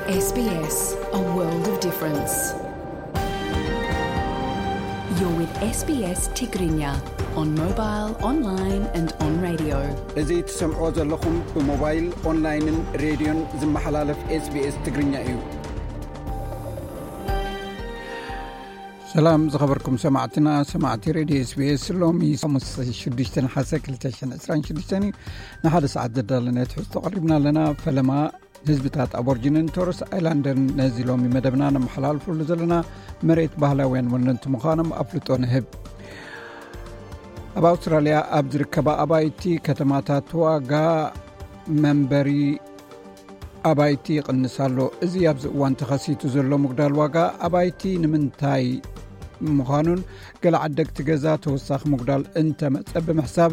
S B S, a world of difference. You're with S B S Tigrinya on mobile, online and on radio. እዚ ትሰምዕዎ ዘለኹም ብሞባይል፣ ኦንላይንን ሬድዮን ዝመሓላለፍ S B S ትግርኛ እዩ። ሰላም ዝኸበርኩም ሰማዕትና፣ ሰማዕቲ ሬድዮ S B S፣ ሎሚ ሓሙስ ሽዱሽተ ነሓሰ ክልተ ሽሕን ዕስራን ሽዱሽተን እዩ። ንሓደ ሰዓት ዘዳለነ ትሕዝቶ ቀሪብና ኣለና። ፈለማ ህዝብታት ኣቦርጅንን ቶረስ ኣይላንደርን ነዚ ሎሚ መደብና ነመሓላልፈሉ ዘለና መሬት ባህላውያን ወነንቲ ምዃኖም ኣፍልጦ ንህብ። ኣብ ኣውስትራልያ ኣብ ዝርከባ ኣባይቲ ከተማታት ዋጋ መንበሪ ኣባይቲ ይቕንስ ኣሎ። እዚ ኣብዚ እዋን ተኸሲቱ ዘሎ ምጉዳል ዋጋ ኣባይቲ ንምንታይ ምዃኑን ገለ ዓደግቲ ገዛ ተወሳኺ ምጉዳል እንተመጸ ብምሕሳብ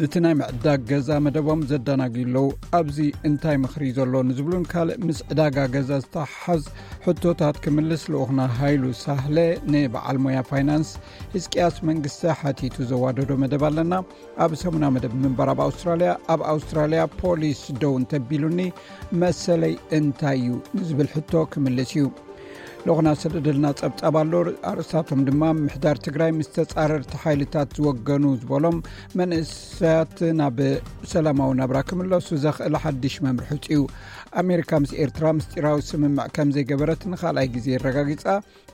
እቲ ናይ ምዕዳግ ገዛ መደቦም ዘዳናግዩ ኣለዉ። ኣብዚ እንታይ ምኽሪ ዘሎ ንዝብሉን ካልእ ምስ ዕዳጋ ገዛ ዝተሓዝ ሕቶታት ክምልስ ልኡኽና ሃይሉ ሳህለ ንበዓል ሞያ ፋይናንስ ህዝቅያስ መንግስተ ሓቲቱ ዘዋደዶ መደብ ኣለና። ኣብ ሰሙና መደብ ምንባር ኣብ ኣውስትራልያ፣ ኣብ ኣውስትራልያ ፖሊስ ደው እንተቢሉኒ መሰለይ እንታይ እዩ ንዝብል ሕቶ ክምልስ እዩ። ልኡኽና ሰደደልና ጸብጻብ ኣሎ። ኣርእስታቶም ድማ ምምሕዳር ትግራይ ምስ ተጻረርቲ ሓይልታት ዝወገኑ ዝበሎም መንእሰያት ናብ ሰላማዊ ናብራ ክምለሱ ዘኽእል ሓድሽ መምርሒ ውጽኡ። ኣሜሪካ ምስ ኤርትራ ምስጢራዊ ስምምዕ ከም ዘይገበረት ንኻልኣይ ግዜ ኣረጋጊጻ።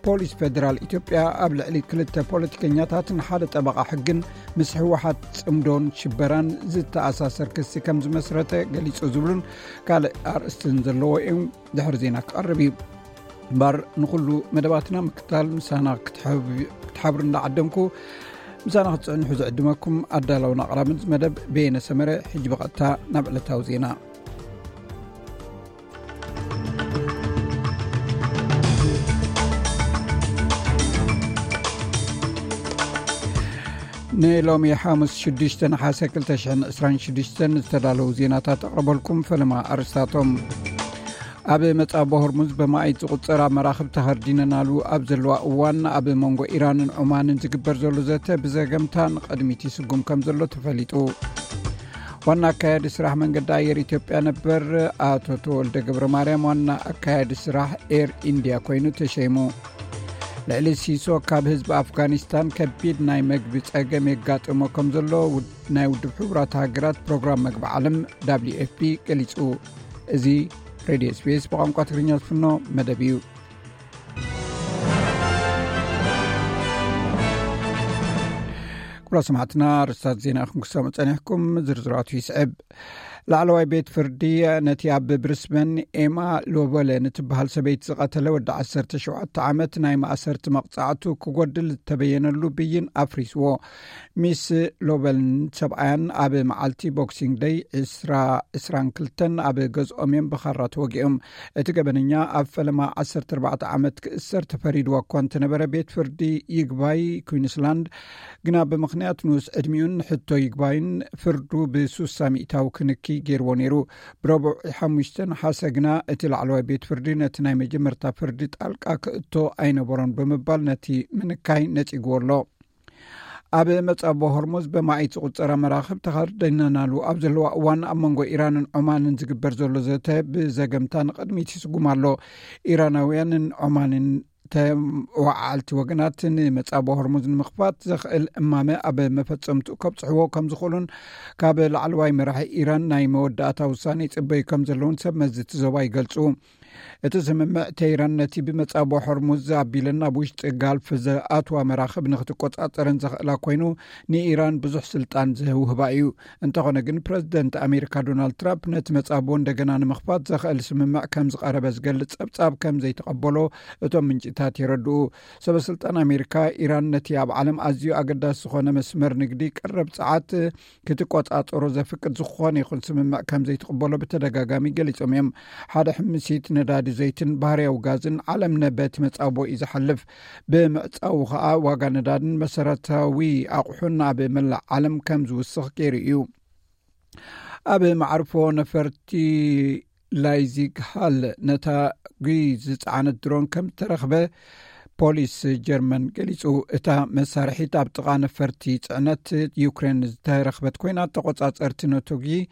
ፖሊስ ፌደራል ኢትዮጵያ ኣብ ልዕሊ ክልተ ፖለቲከኛታትን ሓደ ጠበቓ ሕግን ምስ ህወሓት ጽምዶን ሽበራን ዝተኣሳሰር ክሲ ከም ዝመስረተ ገሊጹ ዝብሉን ካልእ ኣርእስትን ዘለዎ እዩ። ድሕሪ ዜና ክቐርብ እዩ። እምበር ንኹሉ መደባትና ምክታል ምሳና ክትሓብ-፣ ክትሓብሩ እንዳዓደምኩ ምሳና ክትጽዕንሑ ዝዕድመኩም ኣዳላውን ኣቕራብን መደብ በየነ ሰመረ። ሕጂ ብቐጥታ ናብ ዕለታዊ ዜና። ንሎሚ ሓሙስ ሽዱሽተ ነሓሰ ክልተ ሽሕን ዕስራን ሽዱሽተን ዝተዳለዉ ዜናታት ኣቕርበልኩም። ፈለማ ኣርእስታቶም። ኣብ መጻቦ ሆርሙዝ በማእት ዝቑጸራ መራኽብ ተኸርዲነናሉ ኣብ ዘለዋ እዋን፣ ኣብ መንጎ ኢራንን ዑማንን ዝግበር ዘሎ ዘተ ብዘገምታ ንቕድሚት ይስጉም ከም ዘሎ ተፈሊጡ። ዋና ኣካያዲ ስራሕ መንገዲ ኣየር ኢትዮጵያ ነበር ኣቶ ተወልደ ገብረ ማርያም ዋና ኣካያዲ ስራሕ ኤር ኢንድያ ኮይኑ ተሸይሙ። ልዕሊ ሲሶ ካብ ህዝቢ ኣፍጋኒስታን ከቢድ ናይ መግቢ ጸገም የጋጥሞ ከም ዘሎ ውድ-፣ ናይ ውድብ ሕቡራት ሃገራት ፕሮግራም መግቢ ዓለም W F P ገሊጹ። እዚ ሬድዮ S B S ብቋንቋ ትግርኛ ዝፍኖ መደብ እዩ። ክቡራት ሰማዕትና፣ ኣርእስታት ዜና ኢኹም ክሰምዑ ጸኒሕኩም። ዝርዝራቱ ይስዕብ። ላዕለዋይ ቤት ፍርዲ ነቲ ኣብ ብሪስበን ኤማ ሎበለ ንትበሃል ሰበይቲ ዝቐተለ ወዲ ዓሰርተ ሸውዓተ ዓመት ናይ ማእሰርቲ መቕጻዕቱ ክጎድል ዝተበየነሉ ብይን ኣፍሪስዎ። ሚስ ሎበልን ሰብኣያን ኣብ መዓልቲ ቦክሲንግ ደይ ዕስራ ዕስራን ክልተን ኣብ ገዝኦም እዮም ብኻራ ተወጊኦም። እቲ ገበነኛ ኣብ ፈለማ ዓሰርተ ኣርባዕተ ዓመት ክእሰር ተፈሪድዎ እኳ እንተነበረ፣ ቤት ፍርዲ ይግባይ ኩዊንስላንድ ግና ብምኽንያት ንኡስ ዕድሚኡን ሕቶ ይግባይን ፍርዱ ብሱሳ ሚእታዊ ክንኪ ገይርዎ ነይሩ። ብረቡዕ ሓሙሽተ ነሓሰ ግና እቲ ላዕለዋይ ቤት ፍርዲ ነቲ ናይ መጀመርታ ፍርዲ ጣልቃ ክእቶ ኣይነበሮን ብምባል ነቲ ምንካይ ነጺግዎ ኣሎ። ኣብ መጻቦ ሆርሙዝ በማእት ዝቑጸራ መራኽብ ተኸርዲነናሉ ኣብ ዘለዋ እዋን፣ ኣብ መንጎ ኢራንን ዖማንን ዝግበር ዘሎ ዘተ ብዘገምታ ንቕድሚት ይስጉም ኣሎ። ኢራናውያንን ዖማንን ተወዓልቲ ወገናት ንመጻቦ ሆርሙዝ ንምኽፋት ዘኽእል እማመ ኣብ መፈጸምትኡ ከብጽሕዎ ከም ዝኽእሉን ካብ ላዕለዋይ መራሒ ኢራን ናይ መወዳእታ ውሳኔ ይጽበዩ ከም ዘለውን ሰብ መዚ እቲ ዞባ ይገልጹ። እቲ ስምምዕ፣ ቴህራን ነቲ ብመጻቦ ሆርሙዝ ኣቢለን ናብ ውሽጢ ጋልፍ ዝኣትዋ መራኽብ ንክትቆጻጸረን ዘኽእላ ኮይኑ፣ ንኢራን ብዙሕ ስልጣን ዝውህባ እዩ። እንተኾነ ግን፣ ፕረዚደንት ኣሜሪካ ዶናልድ ትራምፕ ነቲ መጻቦ እንደገና ንምኽፋት ዘኽእል ስምምዕ ከም ዝቐረበ ዝገልጽ ጸብጻብ ከም ዘይተቐበሎ እቶም ምንጭታት የረድኡ። ሰበ ስልጣን ኣሜሪካ፣ ኢራን ነቲ ኣብ ዓለም ኣዝዩ ኣገዳሲ ዝኾነ መስመር ንግዲ ቀረብ ጸዓት ክትቆጻጸሮ ዘፍቅድ ዝኾነ ይኹን ስምምዕ ከም ዘይትቕበሎ ብተደጋጋሚ ገሊጾም እዮም። ሓደ ሕምሲት ነዳዲ ዘይትን ባህርያዊ ጋዝን ዓለም ነበቲ መጻቦ እዩ ዝሓልፍ። ብምዕጻዉ ኸኣ ዋጋ ነዳድን መሰረታዊ ኣቑሑን ኣብ መላእ ዓለም ከም ዝውስኽ ገይሩ እዩ። ኣብ መዓርፎ ነፈርቲ ላይዚግ ሃል ነታ ጉይ ዝጸዓነት ድሮን ከም ተረኽበ ፖሊስ ጀርመን ገሊጹ። እታ መሳርሒት ኣብ ጥቓ ነፈርቲ ጽዕነት ዩክሬን ዝተረኽበት ኮይና፣ ተቖጻጸርቲ ነቶ ጉይ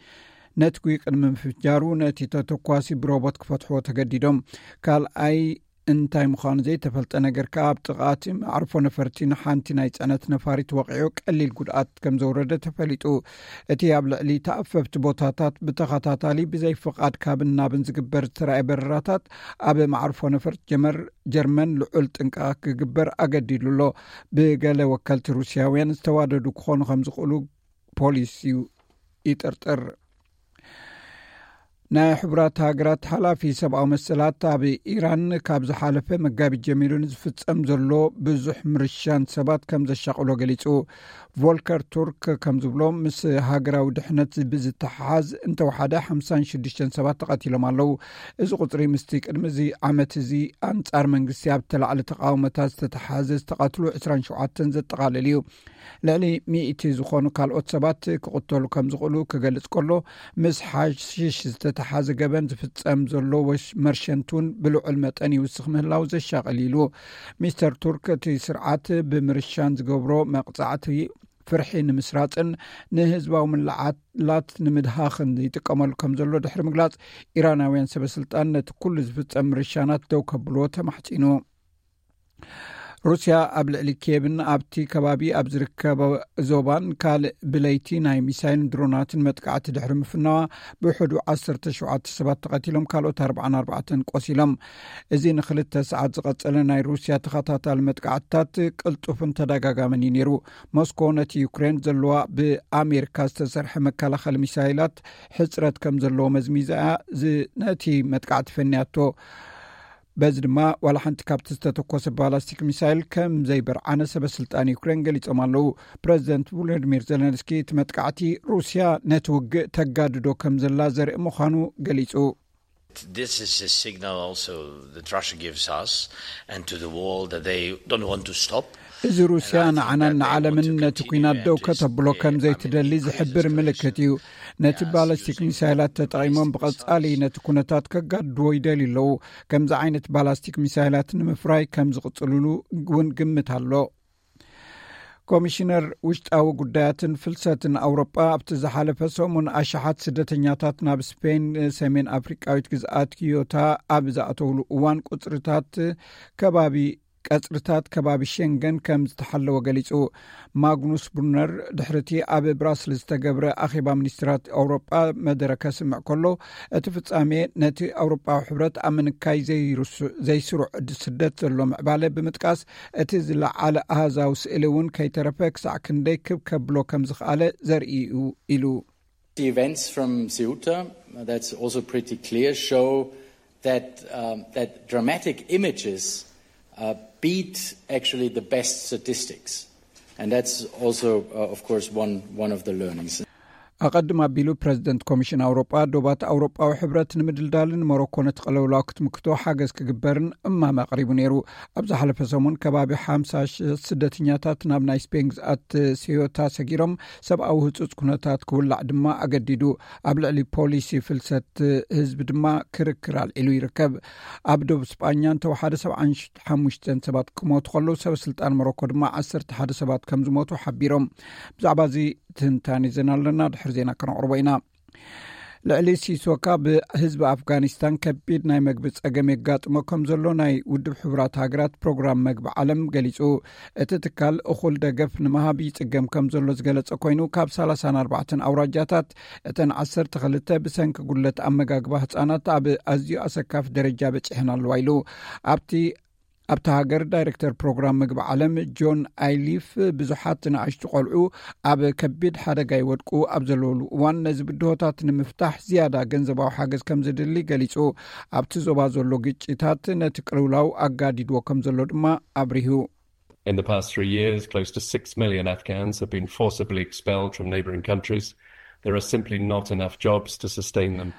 ነትጒ ቅድሚ ምፍጃሩ ነቲ ተተኳሲ ብሮቦት ክፈትሕዎ ተገዲዶም። ካልኣይ እንታይ ምዃኑ ዘይተፈልጠ ነገር ከኣ ኣብ ጥቓ እቲ መዕርፎ ነፈርቲ ንሓንቲ ናይ ጽዕነት ነፋሪት ወቒዑ ቀሊል ጉድኣት ከም ዘውረደ ተፈሊጡ። እቲ ኣብ ልዕሊ ተኣፈፍቲ ቦታታት ብተኸታታሊ ብዘይ ፍቓድ ካብን ናብን ዝግበር ዝተራእየ በረራታት ኣብ መዕርፎ ነፈርቲ ጀመር ጀርመን ልዑል ጥንቃቐ ክግበር ኣገዲዱ ኣሎ። ብገለ ወከልቲ ሩስያውያን ዝተዋደዱ ክኾኑ ከም ዝኽእሉ ፖሊስ እዩ ይጥርጥር። ናይ ሕቡራት ሃገራት ሓላፊ ሰብኣዊ መሰላት ኣብ ኢራን ካብ ዝሓለፈ መጋቢት ጀሚሩ ንዝፍጸም ዘሎ ብዙሕ ምርሻን ሰባት ከም ዘሻቕሎ ገሊጹ። ቮልከር ቱርክ ከም ዝብሎ ምስ ሃገራዊ ድሕነት ብዝተሓሓዝ እንተወሓደ ሓምሳን ሽዱሽተን ሰባት ተቐቲሎም ኣለዉ። እዚ ቁጽሪ ምስቲ ቅድሚ እዚ ዓመት እዚ ኣንጻር መንግስቲ ኣብ ተላዕሊ ተቃውሞታት ዝተተሓዘ ዝተቐትሉ ዕስራን ሸውዓተን ዘጠቓልል እዩ። ልዕሊ ሚእቲ ዝኾኑ ካልኦት ሰባት ክቕተሉ ከም ዝኽእሉ ክገልጽ ከሎ፣ ምስ ሓሽሽ ዝተተሓዘ ገበን ዝፍጸም ዘሎ ወሽ-፣ መርሸንት እውን ብልዑል መጠን ይውስኽ ምህላው ዘሻቕል ኢሉ። ሚስተር ቱርክ እቲ ስርዓት ብምርሻን ዝገብሮ መቕጻዕቲ ፍርሒ ንምስራጽን ንህዝባዊ ምልዓላት ንምድሃኽን ይጥቀመሉ ከም ዘሎ ድሕሪ ምግላጽ፣ ኢራናውያን ሰበ ስልጣን ነቲ ኩሉ ዝፍጸም ምርሻናት ደው ከብልዎ ተማሕጺኑ። ሩስያ ኣብ ልዕሊ ኪየቭን ኣብቲ ከባቢ ኣብ ዝርከብ ዞባን ካልእ ብለይቲ ናይ ሚሳይልን ድሮናትን መጥቃዕቲ ድሕሪ ምፍናዋ፣ ብውሕዱ ዓሰርተ ሸውዓተ ሰባት ተቐቲሎም፣ ካልኦት ኣርባዓን ኣርባዕተን ቆሲሎም። እዚ ንክልተ ሰዓት ዝቐጸለ ናይ ሩስያ ተኸታታሊ መጥቃዕትታት ቅልጡፍን ተደጋጋምን እዩ ነይሩ። ሞስኮ ነቲ ዩክሬን ዘለዋ ብኣሜሪካ ዝተሰርሐ መከላኸሊ ሚሳይላት ሕጽረት ከም ዘለዎ መዝሚዛ እያ ዝ-፣ ነቲ መጥቃዕቲ ፈንያቶ። በዚ ድማ ዋላ ሓንቲ ካብቲ ዝተተኮሰ ባላስቲክ ሚሳይል ከም ዘይበርዓነ ሰበ ስልጣን ዩክሬን ገሊጾም ኣለዉ። ፕረዚደንት ቮሎዲሚር ዘለንስኪ እቲ መጥቃዕቲ ሩስያ ነቲ ውግእ ተጋድዶ ከም ዘላ ዘርኢ ምዃኑ ገሊጹ። This is a signal also that Russia gives us and to the world that they don't want to stop. እዚ ሩስያ ንዓናን ንዓለምን ነቲ ኲናት ደው ከተብሎ ከም ዘይትደሊ ዝሕብር ምልክት እዩ። ነቲ ባላስቲክ ሚሳይላት ተጠቒሞም ብቐጻሊ ነቲ ኩነታት ከጋድድዎ ይደልዩ ኣለዉ። ከምዚ ዓይነት ባላስቲክ ሚሳይላት ንምፍራይ ከም ዝቕጽልሉ እውን ግምት ኣሎ። ኮሚሽነር ውሽጣዊ ጉዳያትን ፍልሰትን ኣውሮጳ ኣብቲ ዝሓለፈ ሰሙን ኣሽሓት ስደተኛታት ናብ ስፔን ሰሜን ኣፍሪቃዊት ግዝኣት ኪዮታ ኣብ ዝኣተውሉ እዋን ቁጽርታት ከባቢ ቀጽርታት ከባቢ ሸንገን ከም ዝተሓለወ ገሊጹ። ማግኑስ ብሩነር ድሕርቲ ኣብ ብራስልስ ዝተገብረ ኣኼባ ሚኒስትራት ኣውሮጳ መደረ ከስምዕ ከሎ፣ እቲ ፍጻሜ ነቲ ኣውሮጳዊ ሕብረት ኣብ ምንካይ ዘይርሱ-፣ ዘይስሩዕ ስደት ዘሎ ምዕባለ ብምጥቃስ፣ እቲ ዝለዓለ ኣሃዛዊ ስእሊ እውን ከይተረፈ ክሳዕ ክንደይ ክብ ከብሎ ከም ዝኸኣለ ዘርኢ እዩ ኢሉ። The events from Ceuta, that's also pretty clear, show that, um, that dramatic images, uh, beat actually the best statistics. And that's also, uh, of course, one, one of the learnings. ኣቐድም ኣቢሉ ፕረዚደንት ኮሚሽን ኣውሮጳ፣ ዶባት ኣውሮጳዊ ሕብረት ንምድልዳልን ሞሮኮ ነቲ ቅልውላው ክትምክቶ ሓገዝ ክግበርን እማመ ኣቕሪቡ ነይሩ። ኣብ ዝሓለፈ ሰሙን ከባቢ ሓምሳ ሽሕ ስደተኛታት ናብ ናይ ስፔን ግዝኣት ሴዮታ ሰጊሮም፣ ሰብኣዊ ህጹጽ ኩነታት ክውላዕ ድማ ኣገዲዱ። ኣብ ልዕሊ ፖሊሲ ፍልሰት ህዝቢ ድማ ክርክር ኣልዒሉ ይርከብ። ኣብ ዶብ ስጳኛ እንተወሓደ ሰብዓን ሓሙሽተን ሰባት ክሞቱ ከለዉ፣ ሰበ ስልጣን ሞሮኮ ድማ ዓሰርተ ሓደ ሰባት ከም ዝሞቱ ሓቢሮም። ብዛዕባ እዚ ትንታኔ ዜና ኣለና፣ ድሕሪ ዜና ከነቕርቦ ኢና። ልዕሊ ሲሶካ ብህዝቢ ኣፍጋኒስታን ከቢድ ናይ መግቢ ጸገም የጋጥሞ ከም ዘሎ ናይ ውድብ ሕቡራት ሃገራት ፕሮግራም መግቢ ዓለም ገሊጹ። እቲ ትካል እኹል ደገፍ ንምሃብ ይጽገም ከም ዘሎ ዝገለጸ ኮይኑ፣ ካብ ሰላሳን ኣርባዕተን ኣውራጃታት እተን ዓሰርተ ክልተ ብሰንኪ ጉድለት ኣመጋግባ ህጻናት ኣብ ኣዝዩ ኣሰካፊ ደረጃ በጺሐን ኣለዋ ኢሉ። ኣብቲ ኣብታ ሃገር ዳይሬክተር ፕሮግራም ምግቢ ዓለም ጆን ኣይሊፍ፣ ብዙሓት ንኣሽቱ ቆልዑ ኣብ ከቢድ ሓደጋ ይወድቁ ኣብ ዘለውሉ እዋን፣ ነዚ ብድሆታት ንምፍታሕ ዝያዳ ገንዘባዊ ሓገዝ ከም ዝድሊ ገሊጹ። ኣብቲ ዞባ ዘሎ ግጭታት ነቲ ቅልውላው ኣጋዲድዎ ከም ዘሎ ድማ ኣብሪሁ። In the past three years, close to six million Afghans have been forcibly expelled from neighbouring countries. There are simply not enough jobs to sustain them.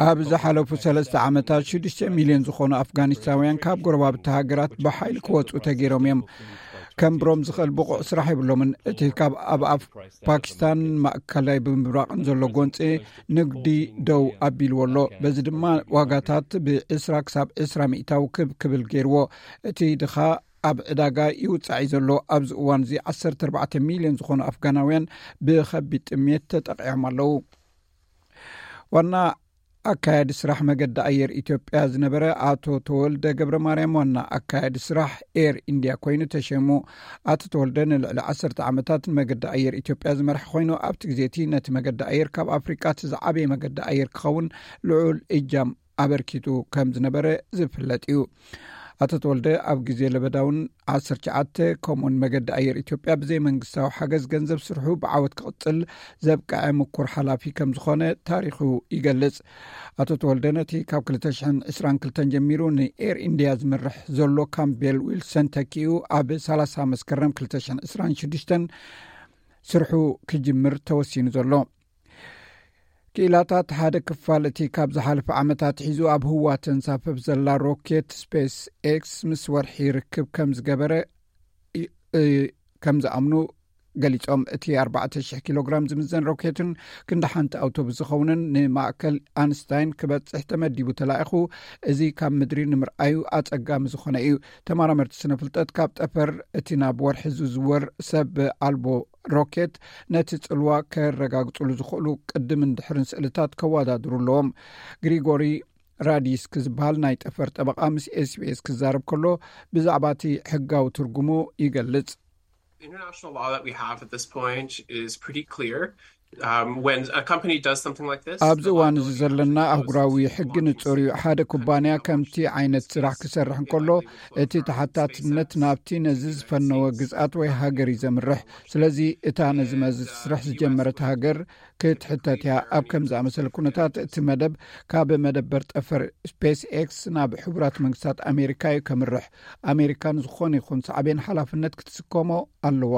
ኣብ ዝሓለፉ ሰለስተ ዓመታት ሽዱሽተ ሚልዮን ዝኾኑ ኣፍጋኒስታውያን ካብ ጎረባብቲ ሃገራት ብሓይሊ ክወጹ ተገይሮም እዮም። ከንብሮም ዝኽእል ብቑዕ ስራሕ የብሎምን። እቲ ካብ ኣብ ኣፍ ፓኪስታን ማእከላይ ብምብራቕን ዘሎ ጎንፂ ንግዲ ደው ኣቢልዎ ኣሎ። በዚ ድማ ዋጋታት ብዕስራ ክሳብ ዕስራ ሚእታዊ ክብ ክብል ገይርዎ። እቲ ድኻ ኣብ ዕዳጋ ይውጻዕ እዩ ዘሎ። ኣብዚ እዋን እዚ ዓሰርተ ኣርባዕተ ሚልዮን ዝኾኑ ኣፍጋናውያን ብኸቢድ ጥሜት ተጠቒዖም ኣለዉ። ዋና ኣካያዲ ስራሕ መገዲ ኣየር ኢትዮጵያ ዝነበረ ኣቶ ተወልደ ገብረ ማርያም ዋና ኣካያዲ ስራሕ ኤር ኢንድያ ኮይኑ ተሸሙ። ኣቶ ተወልደ ንልዕሊ ዓሰርተ ዓመታት ንመገዲ ኣየር ኢትዮጵያ ዝመርሐ ኮይኑ፣ ኣብቲ ግዜ እቲ ነቲ መገዲ ኣየር ካብ ኣፍሪቃ እቲ ዝዓበየ መገዲ ኣየር ክኸውን ልዑል እጃም ኣበርኪቱ ከም ዝነበረ ዝፍለጥ እዩ። ኣቶ ተወልደ ኣብ ግዜ ለበዳውን ዓሰርተ ትሽዓተ ከምኡን መገዲ ኣየር ኢትዮጵያ ብዘይ መንግስታዊ ሓገዝ ገንዘብ ስርሑ ብዓወት ክቕጽል ዘብቅዐ ምኩር ሓላፊ ከም ዝኾነ ታሪኹ ይገልጽ። ኣቶ ተወልደ ነቲ ካብ ክልተ ሽሕን ዕስራን ክልተን ጀሚሩ ንኤር ኢንድያ ዝመርሕ ዘሎ ካምቤል ዊልሰን ተኪኡ ኣብ ሰላሳ መስከረም ክልተ ሽሕን ዕስራን ሽዱሽተን ስርሑ ክጅምር ተወሲኑ ዘሎ። ክኢላታት ሓደ ክፋል እቲ ካብ ዝሓለፈ ዓመታት ሒዙ ኣብ ህዋ ተንሳፍፍ ዘላ ሮኬት ስፔስ ኤክስ ምስ ወርሒ ርክብ ከም ዝገበረ እ፣ ከም ዝኣምኑ ገሊጾም። እቲ ኣርባዕተ ሽሕ ኪሎ ግራም ዝምዘን ሮኬትን ክንዲ ሓንቲ ኣውቶቡስ ዝኸውንን ንማእከል ኣንስታይን ክበጽሕ ተመዲቡ ተላኢኹ፣ እዚ ካብ ምድሪ ንምርኣዩ ኣጸጋሚ ዝኾነ እዩ። ተመራመርቲ ስነ ፍልጠት ካብ ጠፈር እቲ ናብ ወርሒ ዝዝወር ሰብ ኣልቦ ሮኬት ነቲ ጽልዋ ከረጋግጽሉ ዝኽእሉ ቅድምን ድሕርን ስእልታት ከወዳድሩ ኣለዎም። ግሪጎሪ ራዲስክ ዝበሃል ናይ ጠፈር ጠበቓ ምስ ኤስቢኤስ ክዛረብ ከሎ ብዛዕባ እቲ ሕጋዊ ትርጉሙ ይገልጽ። The international law that we have at this point is pretty clear. Um, when a company does something like this, ኣብዚ እዋን እዚ ዘለና ኣህጉራዊ ሕጊ ንጹር እዩ። ሓደ ኩባንያ ከምቲ ዓይነት ስራሕ ክሰርሕ እንከሎ እቲ ተሓታትነት ናብቲ ነዚ ዝፈነወ ግዝኣት ወይ ሃገር እዩ ዘምርሕ። ስለዚ እታ ነዚ መስርሕ ዝጀመረት ሃገር ክትሕተት እያ። ኣብ ከም ዝኣመሰለ ኩነታት እቲ መደብ ካብ መደበር ጠፈር ስፔስ ኤክስ ናብ ሕቡራት መንግስታት ኣሜሪካ እዩ ከምርሕ። ኣሜሪካ ንዝኾነ ይኹን ሳዕቤን ሓላፍነት ክትስከሞ ኣለዋ።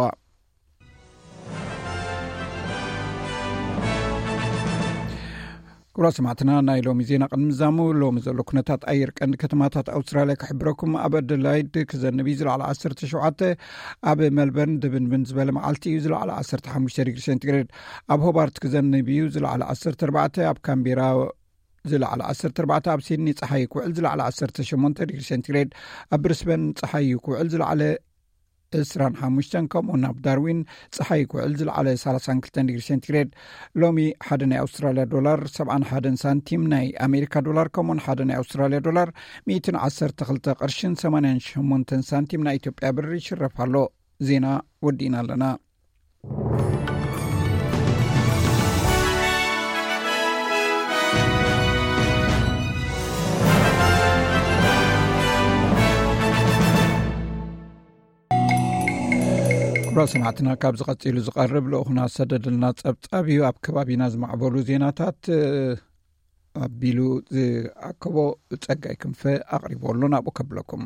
ክቡራት ሰማዕትና፣ ናይ ሎሚ ዜና ቅድሚ ምዛሙ ሎሚ ዘሎ ኩነታት ኣየር ቀንዲ ከተማታት ኣውስትራልያ ክሕብረኩም። ኣብ ኣደላይድ ክዘንብ እዩ፣ ዝለዓለ ዓሰርተ ሸውዓተ። ኣብ መልበርን ድብንብን ዝበለ መዓልቲ እዩ፣ ዝለዓለ ዓሰርተ ሓሙሽተ ዲግሪ ሴንቲግሬድ። ኣብ ሆባርት ክዘንብ እዩ፣ ዝለዓለ ዓሰርተ ኣርባዕተ። ኣብ ካምቤራ ዝለዓለ ዓሰርተ ኣርባዕተ። ኣብ ሲድኒ ጸሓይ ክውዕል፣ ዝለዓለ ዓሰርተ ሸሞንተ ዲግሪ ሴንቲግሬድ። ኣብ ብሪስበን ጸሓይ ክውዕል፣ ዝለዓለ ዕስራን ሓሙሽተን፣ ከምኡ ናብ ዳርዊን ጸሓይ ክውዕል ዝለዓለ ሰላሳን ክልተን ዲግሪ ሴንቲግሬድ። ሎሚ ሓደ ናይ ኣውስትራልያ ዶላር ሰብዓን ሓደን ሳንቲም፣ ናይ ኣሜሪካ ዶላር ከምኡን ሓደ ናይ ኣውስትራልያ ዶላር ሚእትን ዓሰርተ ክልተ ቅርሽን ሰማንያን ሸሞንተን ሳንቲም ናይ ኢትዮጵያ ብር ይሽረፍ ኣሎ። ዜና ወዲእና ኣለና። ክቡራት ሰማዕትና፣ ካብ ዝቐጺሉ ዝቐርብ ልኡኽና ዝሰደደልና ጸብጻብ እዩ። ኣብ ከባቢና ዝማዕበሉ ዜናታት ኣቢሉ ዝኣከቦ ጸጋይ ክንፈ ኣቕሪቦ ኣሎ፣ ናብኡ ከብለኩም።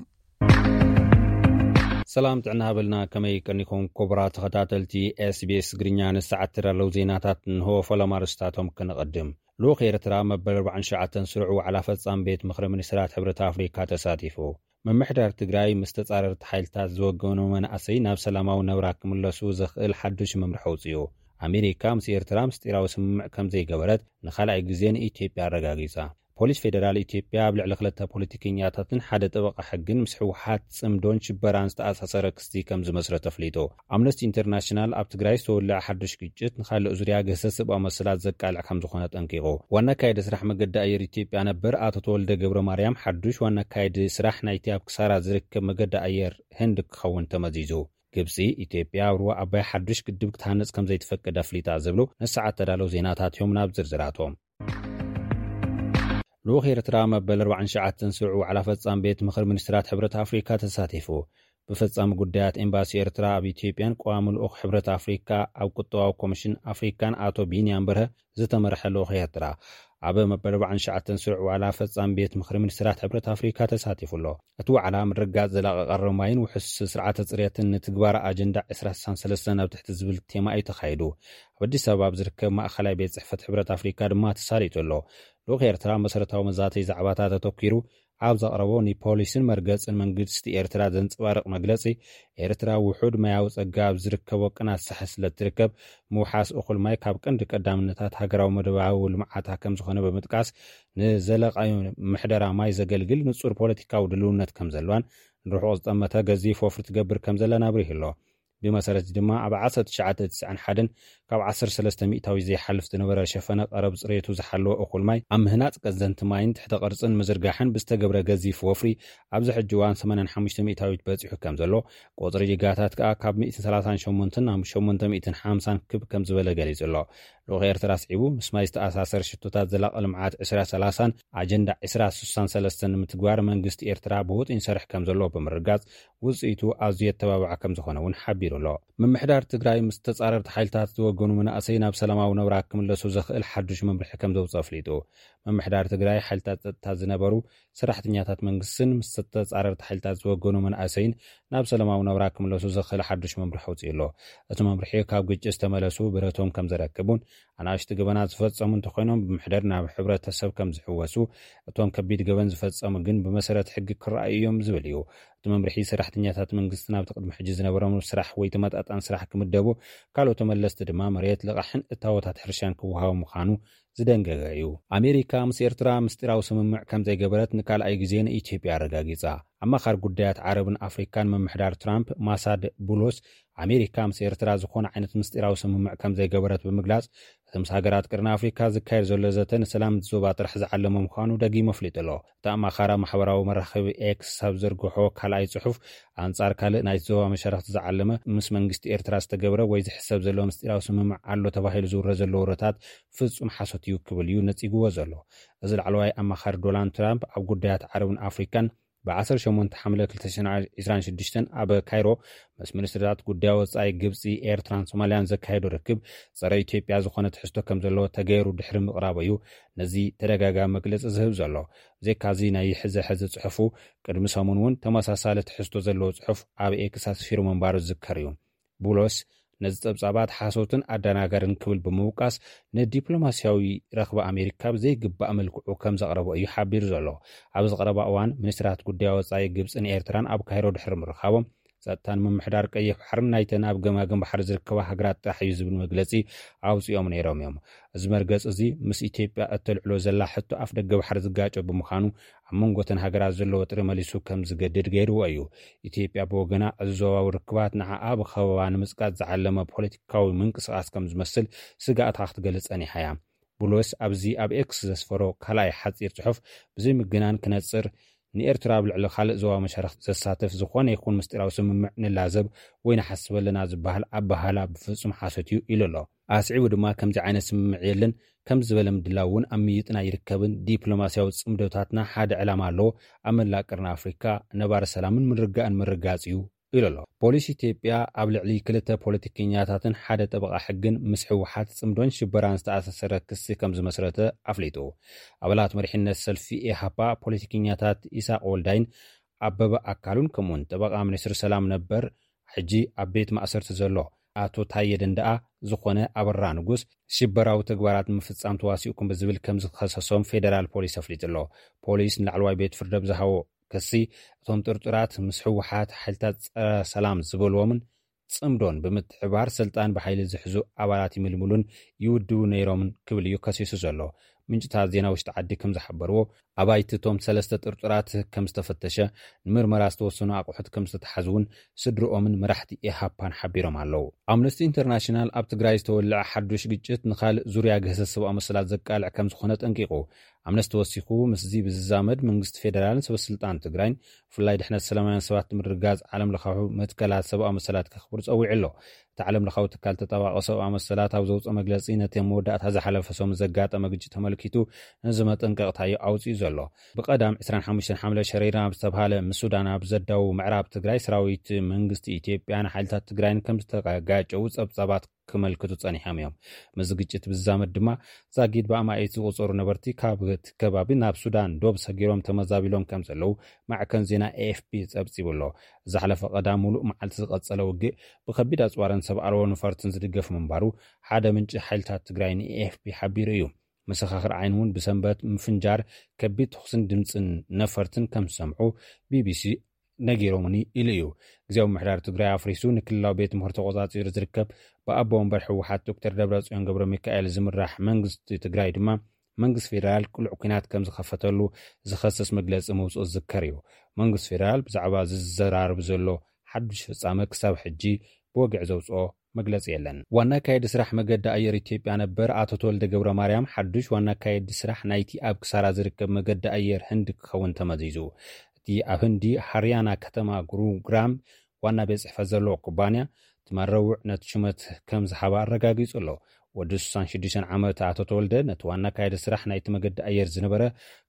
ሰላም ጥዕና ሃበልና፣ ከመይ ቀኒኹም ክቡራት ተኸታተልቲ ኤስቢኤስ ትግርኛ? ንሰዓት ተዳለዉ ዜናታት እንሆ። ፈለማ ርስታቶም ክንቐድም። ልኡኽ ኤርትራ መበል ኣርባዓን ትሽዓተን ስሩዕ ዋዕላ ፈጻሚ ቤት ምኽሪ ሚኒስትራት ሕብረት ኣፍሪካ ተሳቲፉ። ምምሕዳር ትግራይ ምስ ተጻረርቲ ሓይልታት ዝወገኑ መናእሰይ ናብ ሰላማዊ ነብራ ክምለሱ ዘኽእል ሓዱሽ መምርሒ ኣውጺኡ። ኣሜሪካ ምስ ኤርትራ ምስጢራዊ ስምምዕ ከም ዘይገበረት ንኻልኣይ ግዜ ንኢትዮጵያ ኣረጋጊጻ። ፖሊስ ፌደራል ኢትዮጵያ ኣብ ልዕሊ ክልተ ፖለቲከኛታትን ሓደ ጠበቓ ሕግን ምስ ህወሓት ጽምዶን ሽበራን ዝተኣሳሰረ ክሲ ከም ዝመስረተ ኣፍሊጡ። ኣምነስቲ ኢንተርናሽናል ኣብ ትግራይ ዝተወልዐ ሓዱሽ ግጭት ንኻልእ ዙርያ ግህሰት ሰብኣዊ መሰላት ዘቃልዕ ከም ዝኾነ ጠንቂቑ። ዋና ኣካየዲ ስራሕ መገዲ ኣየር ኢትዮጵያ ነበር ኣቶ ተወልደ ገብረ ማርያም ሓዱሽ ዋና ኣካየዲ ስራሕ ናይቲ ኣብ ክሳራ ዝርከብ መገዲ ኣየር ህንድ ክኸውን ተመዚዙ። ግብጺ፣ ኢትዮጵያ ኣብ ሩባ ኣባይ ሓዱሽ ግድብ ክትሃንጽ ከም ዘይትፈቅድ ኣፍሊጣ ዝብሉ ንሰዓት ተዳለዉ ዜናታት እዮም። ናብ ዝርዝራቶም። ልኡኽ ኤርትራ መበል ኣርባዓን ትሽዓተን ስሩዕ ዋዕላ ፈጻሚ ቤት ምኽሪ ሚኒስትራት ሕብረት ኣፍሪካ ተሳቲፉ። ብፈጻሚ ጉዳያት ኤምባሲ ኤርትራ ኣብ ኢትዮጵያን ቀዋሚ ልኡኽ ሕብረት ኣፍሪካ ኣብ ቁጠባዊ ኮሚሽን ኣፍሪካን ኣቶ ቢንያም በርሀ ዝተመርሐ ልኡኽ ኤርትራ ኣብ መበል ኣርባዓን ትሽዓተን ስሩዕ ዋዕላ ፈጻሚ ቤት ምኽሪ ሚኒስትራት ሕብረት ኣፍሪካ ተሳቲፉ ኣሎ። እቲ ዋዕላ ምርግጋጽ ዘላቒ ቀረብ ማይን ውሑስ ስርዓተ ጽሬትን ንትግባረ ኣጀንዳ ዕስራ ስሳን ሰለስተን ኣብ ትሕቲ ዝብል ቴማ እዩ ተኻይዱ። ኣብ ኣዲስ ኣበባ ኣብ ዝርከብ ማእኸላይ ቤት ጽሕፈት ሕብረት ኣፍሪካ ድማ ተሳሊጡ ኣሎ። ልኡኽ ኤርትራ መሰረታዊ መዛተይ ዛዕባታት ኣተኲሩ ኣብ ዘቕረቦ ንፖሊስን መርገጽን መንግስቲ ኤርትራ ዘንጸባርቕ መግለጺ፣ ኤርትራ ውሑድ ማያዊ ጸጋ ኣብ ዝርከቦ ቅናት ሳሕል ስለ እትርከብ፣ ምውሓስ እኹል ማይ ካብ ቀንዲ ቀዳምነታት ሃገራዊ መደባዊ ልምዓታ ከም ዝኾነ ብምጥቃስ፣ ንዘለቓዊ ምሕደራ ማይ ዘገልግል ንጹር ፖለቲካዊ ድልውነት ከም ዘለዋን ንርሑቕ ዝጠመተ ገዚፍ ወፍሪ ትገብር ከም ዘላን ኣብሪሁ ኣሎ። ብመሰረት ድማ ኣብ ዓሰርተ ትሽዓተ ትስዓን ሓደን ካብ ዓሰርተ ሰለስተ ሚእታዊት ዘይሓልፍ ዝነበረ ሸፈነ ቀረብ ጽሬቱ ዝሓለወ እኹል ማይ ኣብ ምህናጽ ቀዘንቲ ማይን ትሕተ ቅርጽን ምዝርጋሕን ብዝተገብረ ገዚፍ ወፍሪ ኣብዚ ሕጂ እዋን ሰማንያን ሓሙሽተ ሚእታዊት በጺሑ ከም ዘሎ፣ ቁጽሪ ዲጋታት ከኣ ካብ ሚእትን ሰላሳን ሸሞንተን ናብ ሸሞንተ ሚእትን ሓምሳን ክብ ከም ዝበለ ገሊጹ ኣሎ። ልኡኽ ኤርትራ ኣስዒቡ፣ ምስ ማይ ዝተኣሳሰር ሽቶታት ዘላቒ ልምዓት ዕስራ ሰላሳን ኣጀንዳ ዕስራ ስሳን ሰለስተን ንምትግባር መንግስቲ ኤርትራ ብውጥን ይሰርሕ ከም ዘሎ ብምርጋጽ፣ ውጽኢቱ ኣዝዩ የተባብዕ ከም ዝኾነ እውን ሓቢሩ ኣሎ። ምምሕዳር ትግራይ ምስ ተጻረርቲ ሓይልታት ዝወገኑ መናእሰይ ናብ ሰላማዊ ነብራ ክምለሱ ዘኽእል ሓዱሽ መምርሒ ከም ዘውጽእ ኣፍሊጡ። ምምሕዳር ትግራይ ሓይልታት ጸጥታ ዝነበሩ ሰራሕተኛታት መንግስትን ምስ ተጻረርቲ ሓይልታት ዝወገኑ መናእሰይን ናብ ሰላማዊ ነብራ ክምለሱ ዘኽእል ሓዱሽ መምርሒ ኣውጺኡ ኣሎ። እቲ መምርሒ ካብ ግጭት ዝተመለሱ ብረቶም ከም ዘረክቡን ኣናእሽቱ ገበናት ዝፈጸሙ እንተኾይኖም ብምሕደር ናብ ሕብረተሰብ ከም ዝሕወሱ፣ እቶም ከቢድ ገበን ዝፈጸሙ ግን ብመሰረት ሕጊ ክረኣዩ እዮም ዝብል እዩ። እቲ መምርሒ ሰራሕተኛታት መንግስቲ ናብቲ ቅድሚ ሕጂ ዝነበሮም ስራሕ ወይ ተመጣጣኒ ስራሕ ክምደቡ፣ ካልኦት ተመለስቲ ድማ መሬት፣ ልቓሕን እታወታት ሕርሻን ክወሃቡ ምዃኑ ዝደንገገ እዩ። ኣሜሪካ ምስ ኤርትራ ምስጢራዊ ስምምዕ ከም ዘይገበረት ንካልኣይ ግዜ ንኢትዮጵያ ኣረጋጊጻ። ኣማኻሪ ጉዳያት ዓረብን ኣፍሪካን ምምሕዳር ትራምፕ ማሳድ ቡሎስ፣ ኣሜሪካ ምስ ኤርትራ ዝኾነ ዓይነት ምስጢራዊ ስምምዕ ከም ዘይገበረት ብምግላጽ፣ እቲ ምስ ሃገራት ቀርኒ ኣፍሪካ ዝካየድ ዘሎ ዘተ ንሰላም እቲ ዞባ ጥራሕ ዝዓለመ ምዃኑ ደጊሙ ኣፍሊጡ ኣሎ። እቲ ኣማኻሪ ኣብ ማሕበራዊ መራኸቢ ኤክስ ኣብ ዘርግሖ ካልኣይ ጽሑፍ፣ ኣንጻር ካልእ ናይቲ ዞባ መሻርኽቲ ዝዓለመ ምስ መንግስቲ ኤርትራ ዝተገብረ ወይ ዝሕሰብ ዘሎ ምስጢራዊ ስምምዕ ኣሎ ተባሂሉ ዝውረ ዘሎ ወረታት ፍጹም ሓሶት እዩ ክብል እዩ ነጺግዎ ዘሎ። እዚ ላዕለዋይ ኣማኻሪ ዶናልድ ትራምፕ ኣብ ጉዳያት ዓረብን ኣፍሪካን ብ ዓሰርተ ሸሞንተ ሓምለ ክልተ ሽሕን ዕስራን ሽዱሽተን ኣብ ካይሮ ምስ ሚኒስትርታት ጉዳይ ወጻኢ ግብጺ፣ ኤርትራን ሶማልያን ዘካየዶ ርክብ ጸረ ኢትዮጵያ ዝኾነ ትሕዝቶ ከም ዘለዎ ተገይሩ ድሕሪ ምቕራቡ እዩ ነዚ ተደጋጋሚ መግለጺ ዝህብ ዘሎ። ብዘይካዚ ናይ ሕዚ ሕዚ ጽሑፉ ቅድሚ ሰሙን እውን ተመሳሳሊ ትሕዝቶ ዘለዎ ጽሑፍ ኣብ ኤክስ ኣስፊሩ ምንባሩ ዝዝከር እዩ። ቡሎስ ነዚ ጸብጻባት ሓሶትን ኣደናጋርን ክብል ብምውቃስ፣ ንዲፕሎማስያዊ ረኽቢ ኣሜሪካ ብዘይግባእ መልክዑ ከም ዘቕረቦ እዩ ሓቢሩ ዘሎ። ኣብ ዝቐረባ እዋን ሚኒስትራት ጉዳይ ወጻኢ ግብጽን ኤርትራን ኣብ ካይሮ ድሕሪ ምርኻቦም፣ ጸጥታን ምምሕዳር ቀይሕ ባሕርን ናይተን ኣብ ገማግም ባሕሪ ዝርከባ ሃገራት ጥራሕ እዩ ዝብል መግለጺ ኣውጺኦም ነይሮም እዮም። እዚ መርገጽ እዚ ምስ ኢትዮጵያ እተልዕሎ ዘላ ሕቶ ኣፍ ደገ ባሕሪ ዝጋጨ ብምዃኑ፣ ኣብ መንጎ እተን ሃገራት ዘሎ ወጥሪ መሊሱ ከም ዝገድድ ገይርዎ እዩ። ኢትዮጵያ ብወገና፣ እዚ ዞባዊ ርክባት ንዓኣ ብኸበባ ንምጽቃጥ ዝዓለመ ፖለቲካዊ ምንቅስቓስ ከም ዝመስል ስግኣታ ክትገልጽ ጸኒሓ እያ። ቡሎስ ኣብዚ ኣብ ኤክስ ዘስፈሮ ካልኣይ ሓጺር ጽሑፍ፣ ብዘይ ምግናን ክነጽር፣ ንኤርትራ ኣብ ልዕሊ ካልእ ዞባ መሻርኽ ዘሳተፍ ዝኾነ ይኹን ምስጢራዊ ስምምዕ ንላዘብ ወይ ንሓስብ ኣለና ዝበሃል ኣበሃህላ ብፍጹም ሓሶት እዩ ኢሉ ኣሎ። ኣስዒቡ ድማ፣ ከምዚ ዓይነት ስምምዕ የለን፣ ከምዚ ዝበለ ምድላው እውን ኣብ ምይጥና ይርከብን፣ ዲፕሎማስያዊ ጽምዶታትና ሓደ ዕላማ ኣለዎ፣ ኣብ መላእ ቀርኒ ኣፍሪካ ነባሪ ሰላምን ምርግጋእን ምርጋጽ እዩ ኢሉ ኣሎ። ፖሊስ ኢትዮጵያ ኣብ ልዕሊ ክልተ ፖለቲከኛታትን ሓደ ጠበቓ ሕግን ምስ ህወሓት ጽምዶን ሽበራን ዝተኣሳሰረ ክሲ ከም ዝመስረተ ኣፍሊጡ። ኣባላት መሪሕነት ሰልፊ ኢሃፓ፣ ፖለቲከኛታት ኢሳቕ ወልዳይን ኣበበ ኣካሉን ከምኡውን ጠበቓ ሚኒስትሪ ሰላም ነበር፣ ሕጂ ኣብ ቤት ማእሰርቲ ዘሎ ኣቶ ታየ ደንደኣ ዝኾነ ኣበራ ንጉስ፣ ሽበራዊ ተግባራት ምፍጻም ተዋሲእኩም ብዝብል ከም ዝኸሰሶም ፌደራል ፖሊስ ኣፍሊጡ ኣሎ። ፖሊስ ንላዕለዋይ ቤት ፍርዲ ኣብ ዝሃቦ ክሲ፣ እቶም ጥርጡራት ምስ ህወሓት ሓይልታት ጸረ ሰላም ዝበልዎምን ጽምዶን ብምትሕባር ስልጣን ብሓይሊ ዝሕዙ ኣባላት ይምልምሉን ይውድቡ ነይሮምን ክብል እዩ ከሲሱ ዘሎ። ምንጭታት ዜና ውሽጢ ዓዲ ከም ዝሓበርዎ፣ ኣባይቲ እቶም ሰለስተ ጥርጡራት ከም ዝተፈተሸ፣ ንምርመራ ዝተወሰኑ ኣቑሑት ከም ዝተተሓዙ እውን ስድርኦምን መራሕቲ ኢሃፓን ሓቢሮም ኣለዉ። ኣምነስቲ ኢንተርናሽናል ኣብ ትግራይ ዝተወልዐ ሓዱሽ ግጭት ንኻልእ ዙርያ ግህሰት ሰብኣዊ መሰላት ዘቃልዕ ከም ዝኾነ ጠንቂቑ። ኣምነስቲ ወሲኹ፣ ምስዚ ብዝዛመድ መንግስቲ ፌደራልን ሰበስልጣን ትግራይን ብፍላይ ድሕነት ሰላማውያን ሰባት ንምርግጋጽ ዓለም ለኻዊ መትከላት ሰብኣዊ መሰላት ከኽብር ጸዊዑ ኣሎ። እቲ ዓለም ለኻዊ ትካል ተጣባቒ ሰብኣዊ መሰላት ኣብ ዘውፅኦ መግለፂ፣ ነቲ ኣብ መወዳእታ ዝሓለፈ ሰሙን ዘጋጠመ ግጭት ተመልኪቱ ነዚ መጠንቀቕታ እዩ ኣውፂኡ ዘሎ። ብቐዳም ዕስራን ሓሙሽተን ሓምለ ሸረሪራ ኣብ ዝተብሃለ ምስ ሱዳን ኣብ ዘዳዉ ምዕራብ ትግራይ ሰራዊት መንግስቲ ኢትዮጵያን ሓይልታት ትግራይን ከም ዝተጋጨዉ ጸብጻባት ክመልክቱ ጸኒሖም እዮም። ምስዚ ግጭት ብዝዛመድ ድማ ዛጊድ ብኣማኢት ዝቑጸሩ ነበርቲ ካብ እቲ ከባቢ ናብ ሱዳን ዶብ ሰጊሮም ተመዛቢሎም ከም ዘለዉ ማዕከን ዜና ኤ ኤፍ ፒ ጸብጺቡ ኣሎ። ዝሓለፈ ቀዳም ሙሉእ መዓልቲ ዝቐጸለ ውግእ ብከቢድ ኣጽዋርን ሰብ ኣልቦ ነፈርትን ዝድገፍ ምንባሩ ሓደ ምንጪ ሓይልታት ትግራይ ን ኤ ኤፍ ፒ ሓቢሩ እዩ። መሰኻኽር ዓይኒ እውን ብሰንበት ምፍንጃር፣ ከቢድ ተኹስን ድምፅን ነፈርትን ከም ዝሰምዑ ቢ ቢ ሲ ነጊሮምኒ ኢሉ እዩ። ግዜያዊ ምምሕዳር ትግራይ ኣፍሪሱ ንክልላዊ ቤት ምኽሪ ተቖጻጺሩ ዝርከብ ብኣቦ ወንበር ህወሓት ዶክተር ደብረጽዮን ገብረ ሚካኤል ዝምራሕ መንግስቲ ትግራይ ድማ መንግስቲ ፌደራል ቅሉዕ ኲናት ከም ዝኸፈተሉ ዝኸስስ መግለጺ ምውፅኡ ዝዝከር እዩ። መንግስቲ ፌደራል ብዛዕባ ዝዘራረብ ዘሎ ሓዱሽ ፍጻመ ክሳብ ሕጂ ብወግዒ ዘውፅኦ መግለፂ የለን። ዋና ኣካየዲ ስራሕ መገዲ ኣየር ኢትዮጵያ ነበር ኣቶ ተወልደ ገብረ ማርያም፣ ሓዱሽ ዋና ኣካየዲ ስራሕ ናይቲ ኣብ ክሳራ ዝርከብ መገዲ ኣየር ህንዲ ክኸውን ተመዚዙ። እቲ ኣብ ህንዲ ሃርያና ከተማ ጉሩግራም ዋና ቤት ጽሕፈት ዘለዎ ኩባንያ፣ ትማል ረቡዕ ነቲ ሹመት ከም ዝሃባ ኣረጋጊጹ ኣሎ። ወዲ ስሳን ሽዱሽተን ዓመት ኣቶ ተወልደ፣ ነቲ ዋና ኣካያዲ ስራሕ ናይቲ መገዲ ኣየር ዝነበረ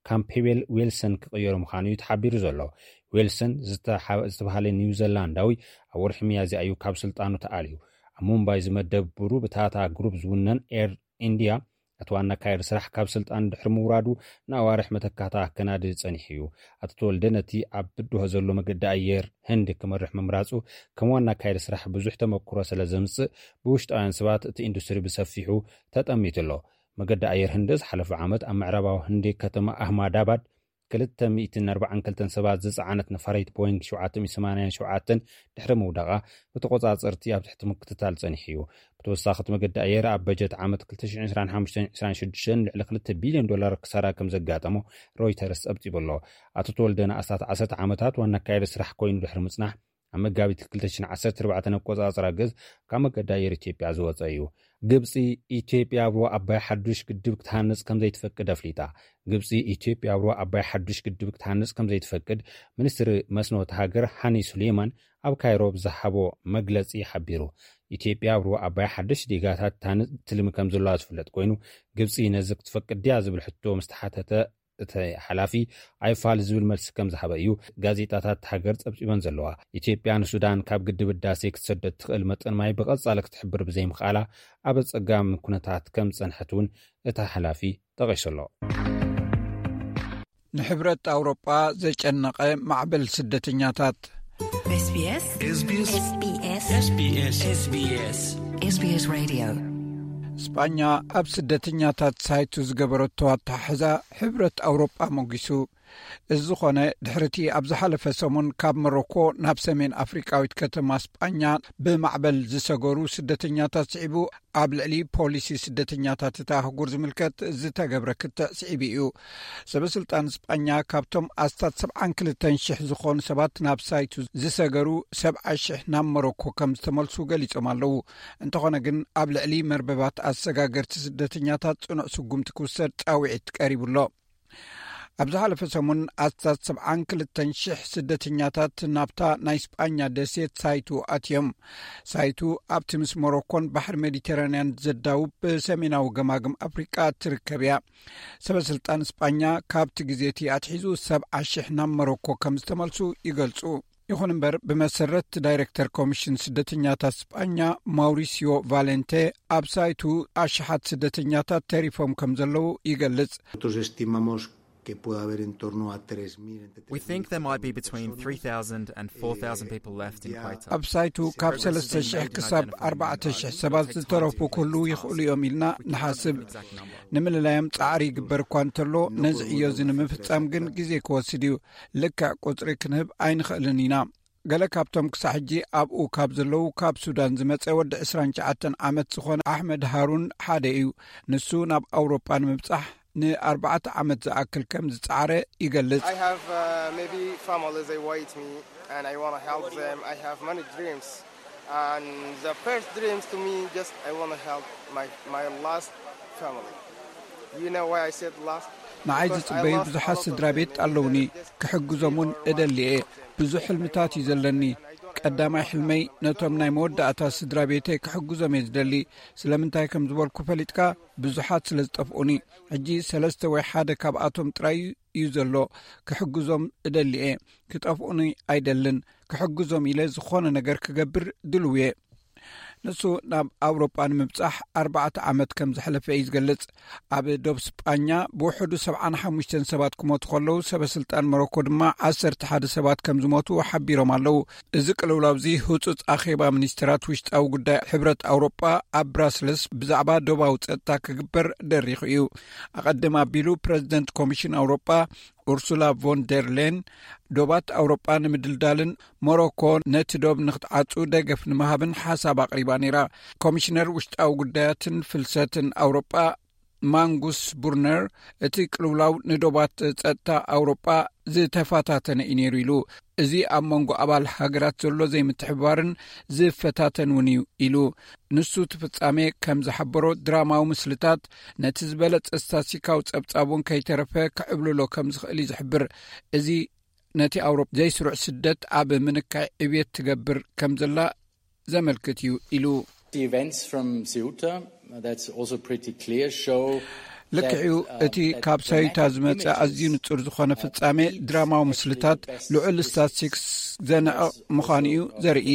ካምፔቤል ዊልሰን ክቕየሩ ምዃኑ እዩ ተሓቢሩ ዘሎ። ዊልሰን ዝተሓ-፣ ዝተባህለ ኒውዚላንዳዊ፣ ኣብ ወርሒ ሚያዝያ እዩ ካብ ስልጣኑ ተኣልዩ። ኣብ ሙምባይ ዝመደብ ብሩ ብታታ ግሩፕ ዝውነን ኤር ኢንድያ፣ እቲ ዋና ኣካያዲ ስራሕ ካብ ስልጣን ድሕሪ ምውራዱ፣ ንኣዋርሕ መተካእታ ከናዲ ጸኒሑ እዩ። ኣቶ ተወልደ ነቲ ኣብ ብድሆ ዘሎ መገዲ ኣየር ህንዲ ክመርሕ ምምራጹ፣ ከም ዋና ኣካያዲ ስራሕ ብዙሕ ተመክሮ ስለ ዘምጽእ፣ ብውሽጣውያን ሰባት እቲ ኢንዱስትሪ ብሰፊሑ ተጠሚቱ ኣሎ። መገዲ ኣየር ህንዲ ዝሓለፈ ዓመት ኣብ ምዕራባዊ ህንዲ ከተማ ኣህማዳባድ ክልተ ሚእትን ኣርባዓን ክልተን ሰባት ዝጸዓነት ነፋሪት ቦይንግ ሸውዓተ ሚእቲ ሰማንያን ሸውዓተን ድሕሪ ምውዳቓ፣ ብተቖጻጸርቲ ኣብ ትሕቲ ምክትታል ጸኒሑ እዩ። ብተወሳኺ፣ እቲ መገዲ ኣየር ኣብ በጀት ዓመት ክልተ ሽሕን ዕስራን ሓሙሽተን ዕስራን ሽዱሽተን ልዕሊ ክልተ ቢልዮን ዶላር ክሳራ ከም ዘጋጠሞ ሮይተርስ ጸብጺቡ ኣሎ። ኣቶ ተወልደ ንኣስታት ዓሰርተ ዓመታት ዋና ኣካያዲ ስራሕ ኮይኑ ድሕሪ ምጽናሕ፣ ኣብ መጋቢት ክልተ ሽሕን ዓሰርተ ኣርባዕተን ኣቆጻጽራ ገዝ ካብ መገዲ ኣየር ኢትዮጵያ ዝወጸ እዩ። ግብጺ፣ ኢትዮጵያ ኣብ ሩባ ኣባይ ሓዱሽ ግድብ ክትሃንጽ ከም ዘይትፈቅድ ኣፍሊጣ። ግብጺ፣ ኢትዮጵያ ኣብ ሩባ ኣባይ ሓዱሽ ግድብ ክትሃንጽ ከም ዘይትፈቅድ፣ ሚኒስትሪ መስኖ እታ ሃገር ሃኒ ሱሌማን ኣብ ካይሮ ብዝሃቦ መግለጺ ሓቢሩ። ኢትዮጵያ ኣብ ሩባ ኣባይ ሓዱሽ ዲጋታት ትሃንጽ ትልሚ ከም ዘለዋ ዝፍለጥ ኮይኑ፣ ግብጺ ነዚ ክትፈቅድ ድያ ዝብል ሕቶ ምስ ተሓተተ፣ እቲ ሓላፊ ኣይፋል ዝብል መልሲ ከም ዝሃበ እዩ ጋዜጣታት እታ ሃገር ጸብጺበን ዘለዋ። ኢትዮጵያ ንሱዳን ካብ ግድብ ህዳሴ ክትሰዶ እትኽእል መጠን ማይ ብቐጻሊ ክትሕብር ብዘይምኽኣላ፣ ኣብ ኣጸጋሚ ኩነታት ከም ዝጸንሐት እውን እቲ ሓላፊ ጠቒሱ ኣሎ። ንሕብረት ኣውሮጳ ዘጨነቐ ማዕበል ስደተኛታት። SBS SBS SBS SBS SBS Radio። ስጳኛ ኣብ ስደተኛታት ሳይቱ ዝገበረቶ ኣተሓሕዛ፣ ሕብረት ኣውሮጳ ሞጊሱ። እዚ ዝኾነ፣ ድሕሪቲ ኣብ ዝሓለፈ ሰሙን ካብ መሮኮ ናብ ሰሜን ኣፍሪቃዊት ከተማ ስጳኛ ብማዕበል ዝሰገሩ ስደተኛታት ስዒቡ፣ ኣብ ልዕሊ ፖሊሲ ስደተኛታት እታ ኣህጉር ዝምልከት ዝተገብረ ክትዕ ስዒቡ እዩ። ሰበ ስልጣን ስጳኛ፣ ካብቶም ኣስታት ሰብዓን ክልተን ሽሕ ዝኾኑ ሰባት ናብ ሳይቱ ዝሰገሩ፣ ሰብዓ ሽሕ ናብ መሮኮ ከም ዝተመልሱ ገሊጾም ኣለዉ። እንተኾነ ግን፣ ኣብ ልዕሊ መርበባት ኣሰጋገርቲ ስደተኛታት ጽኑዕ ስጉምቲ ክውሰድ ጻውዒት ቀሪቡ ኣሎ። ኣብ ዝሓለፈ ሰሙን፣ ኣስታት ሰብዓን ክልተን ሽሕ ስደተኛታት ናብታ ናይ ስጳኛ ደሴት ሳይቱ ኣትዮም። ሳይቱ ኣብቲ ምስ ሞሮኮን ባሕሪ ሜዲተራንያን ዘዳውብ ብሰሜናዊ ገማግም ኣፍሪቃ እትርከብ እያ። ሰበ ስልጣን ስጳኛ፣ ካብቲ ግዜ እቲ ኣትሒዙ ሰብዓ ሽሕ ናብ መሮኮ ከም ዝተመልሱ ይገልጹ። ይኹን እምበር፣ ብመሰረት ዳይሬክተር ኮሚሽን ስደተኛታት ስጳኛ፣ ማውሪሲዮ ቫሌንቴ፣ ኣብ ሳይቱ ኣሽሓት ስደተኛታት ተሪፎም ከም ዘለዉ ይገልጽ። Nosotros estimamos que puede haber en torno a tres mil, entre We think there might be between three thousand and four thousand people left in Quito. ኣብ ሳይቱ ካብ ሰለስተ ሽሕ ክሳብ ኣርባዕተ ሽሕ ሰባት ዝተረፉ ክህልዉ ይኽእሉ እዮም ኢልና ንሓስብ። ንምልላዮም ጻዕሪ ይግበር እኳ እንተሎ፣ ነዚ ዕዮ እዚ ንምፍጻም ግን ግዜ ክወስድ እዩ። ልክዕ ቁጽሪ ክንህብ ኣይንኽእልን ኢና። ገለ ካብቶም ክሳዕ ሕጂ ኣብኡ ካብ ዘለዉ፣ ካብ ሱዳን ዝመጸ ወዲ ዕስራን ትሽዓተን ዓመት ዝኾነ ኣሕመድ ሃሩን ሓደ እዩ። ንሱ ናብ ኣውሮጳ ንምብጻሕ ንኣርባዕተ ዓመት ዝኣክል ከም ዝጸዓረ ይገልጽ። I have, uh, maybe families, they wait me, and I wanna help them. I have many dreams. And the first dreams to me, just I wanna help my, my last family. You know why I said last? ንዓይ ዝጽበዩ ብዙሓት ስድራ ቤት ኣለውኒ፣ ክሕግዞም እውን እደሊ እየ። ብዙሕ ሕልምታት እዩ ዘለኒ። ቀዳማይ ሕልመይ ነቶም ናይ መወዳእታ ስድራ ቤተይ ክሕግዞም እየ ዝደሊ። ስለምንታይ ከም ዝበልኩ ፈሊጥካ? ብዙሓት ስለ ዝጠፍኡኒ። ሕጂ ሰለስተ ወይ ሓደ ካብኣቶም ጥራይ እዩ ዘሎ። ክሕግዞም እደሊ እየ። ክጠፍኡኒ ኣይደልን። ክሕግዞም ኢለ ዝኾነ ነገር ክገብር ድልው እየ። ንሱ ናብ ኣውሮጳ ንምብጻሕ ኣርባዕተ ዓመት ከም ዘሕለፈ እዩ ዝገልጽ። ኣብ ዶብ ስጳኛ ብውሕዱ ሰብዓን ሓሙሽተን ሰባት ክሞቱ ከለዉ፣ ሰበ ስልጣን ሞሮኮ ድማ ዓሰርተ ሓደ ሰባት ከም ዝሞቱ ሓቢሮም ኣለዉ። እዚ ቅልውላው እዚ ህጹጽ ኣኼባ ሚኒስትራት ውሽጣዊ ጉዳይ ሕብረት ኣውሮጳ ኣብ ብራስለስ ብዛዕባ ዶባዊ ጸጥታ ክግበር ደሪኹ እዩ። ኣቐድም ኣቢሉ ፕረዚደንት ኮሚሽን ኣውሮጳ ኡርሱላ ቮን ደር ሌን፣ ዶባት ኣውሮጳ ንምድልዳልን ሞሮኮ ነቲ ዶብ ንክትዓጹ ደገፍ ንምሃብን ሓሳብ ኣቕሪባ ነይራ። ኮሚሽነር ውሽጣዊ ጉዳያትን ፍልሰትን ኣውሮጳ ማንጉስ ቡርነር፣ እቲ ቅልውላው ንዶባት ጸጥታ ኣውሮጳ ዝተፈታተነ እዩ ነይሩ ኢሉ። እዚ ኣብ መንጎ ኣባል ሃገራት ዘሎ ዘይምትሕብባርን ዝፈታተን እውን እዩ ኢሉ። ንሱ እቲ ፍጻሜ ከም ዝሓበሮ፣ ድራማዊ ምስልታት ነቲ ዝበለጸ ስታስቲካዊ ጸብጻብ እውን ከይተረፈ ክዕብልሎ ከም ዝኽእል እዩ ዝሕብር። እዚ ነቲ ኣውሮፓ ዘይስሩዕ ስደት ኣብ ምንካይ ዕብየት ትገብር ከም ዘላ ዘመልክት እዩ ኢሉ። The events from Ceuta, that's also pretty clear, show ልክዕዩ። እቲ ካብ ሳዩታ ዝመጸ ኣዝዩ ንጹር ዝኾነ ፍጻሜ ድራማዊ ምስልታት ልዑል ስታትስቲክስ ዘንዕቕ ምዃኑ እዩ ዘርኢ።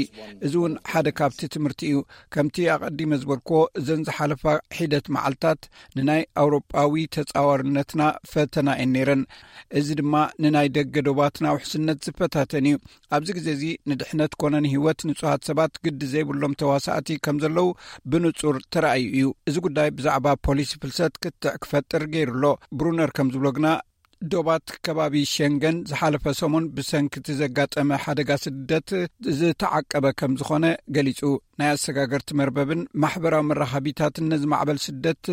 እዚ እውን ሓደ ካብቲ ትምህርቲ እዩ። ከምቲ ኣቐዲመ ዝበልክዎ፣ እዘን ዝሓለፋ ሒደት መዓልታት ንናይ ኣውሮጳዊ ተጻዋርነትና ፈተና እየን ነይረን። እዚ ድማ ንናይ ደገ ዶባትና ውሕስነት ዝፈታተን እዩ። ኣብዚ ግዜ እዚ ንድሕነት ኮነ ንህይወት ንጹሃት ሰባት ግዲ ዘይብሎም ተዋሳእቲ ከም ዘለዉ ብንጹር ተራእዩ እዩ። እዚ ጉዳይ ብዛዕባ ፖሊሲ ፍልሰት ክትዕ ክፈጥር ገይሩ ኣሎ። ብሩነር ከም ዝብሎ ግና፣ ዶባት ከባቢ ሸንገን ዝሓለፈ ሰሙን ብሰንኪ እቲ ዘጋጠመ ሓደጋ ስደት ዝተዓቀበ ከም ዝኾነ ገሊጹ። ናይ ኣሰጋገርቲ መርበብን ማሕበራዊ መራኸቢታትን ነዚ ማዕበል ስደት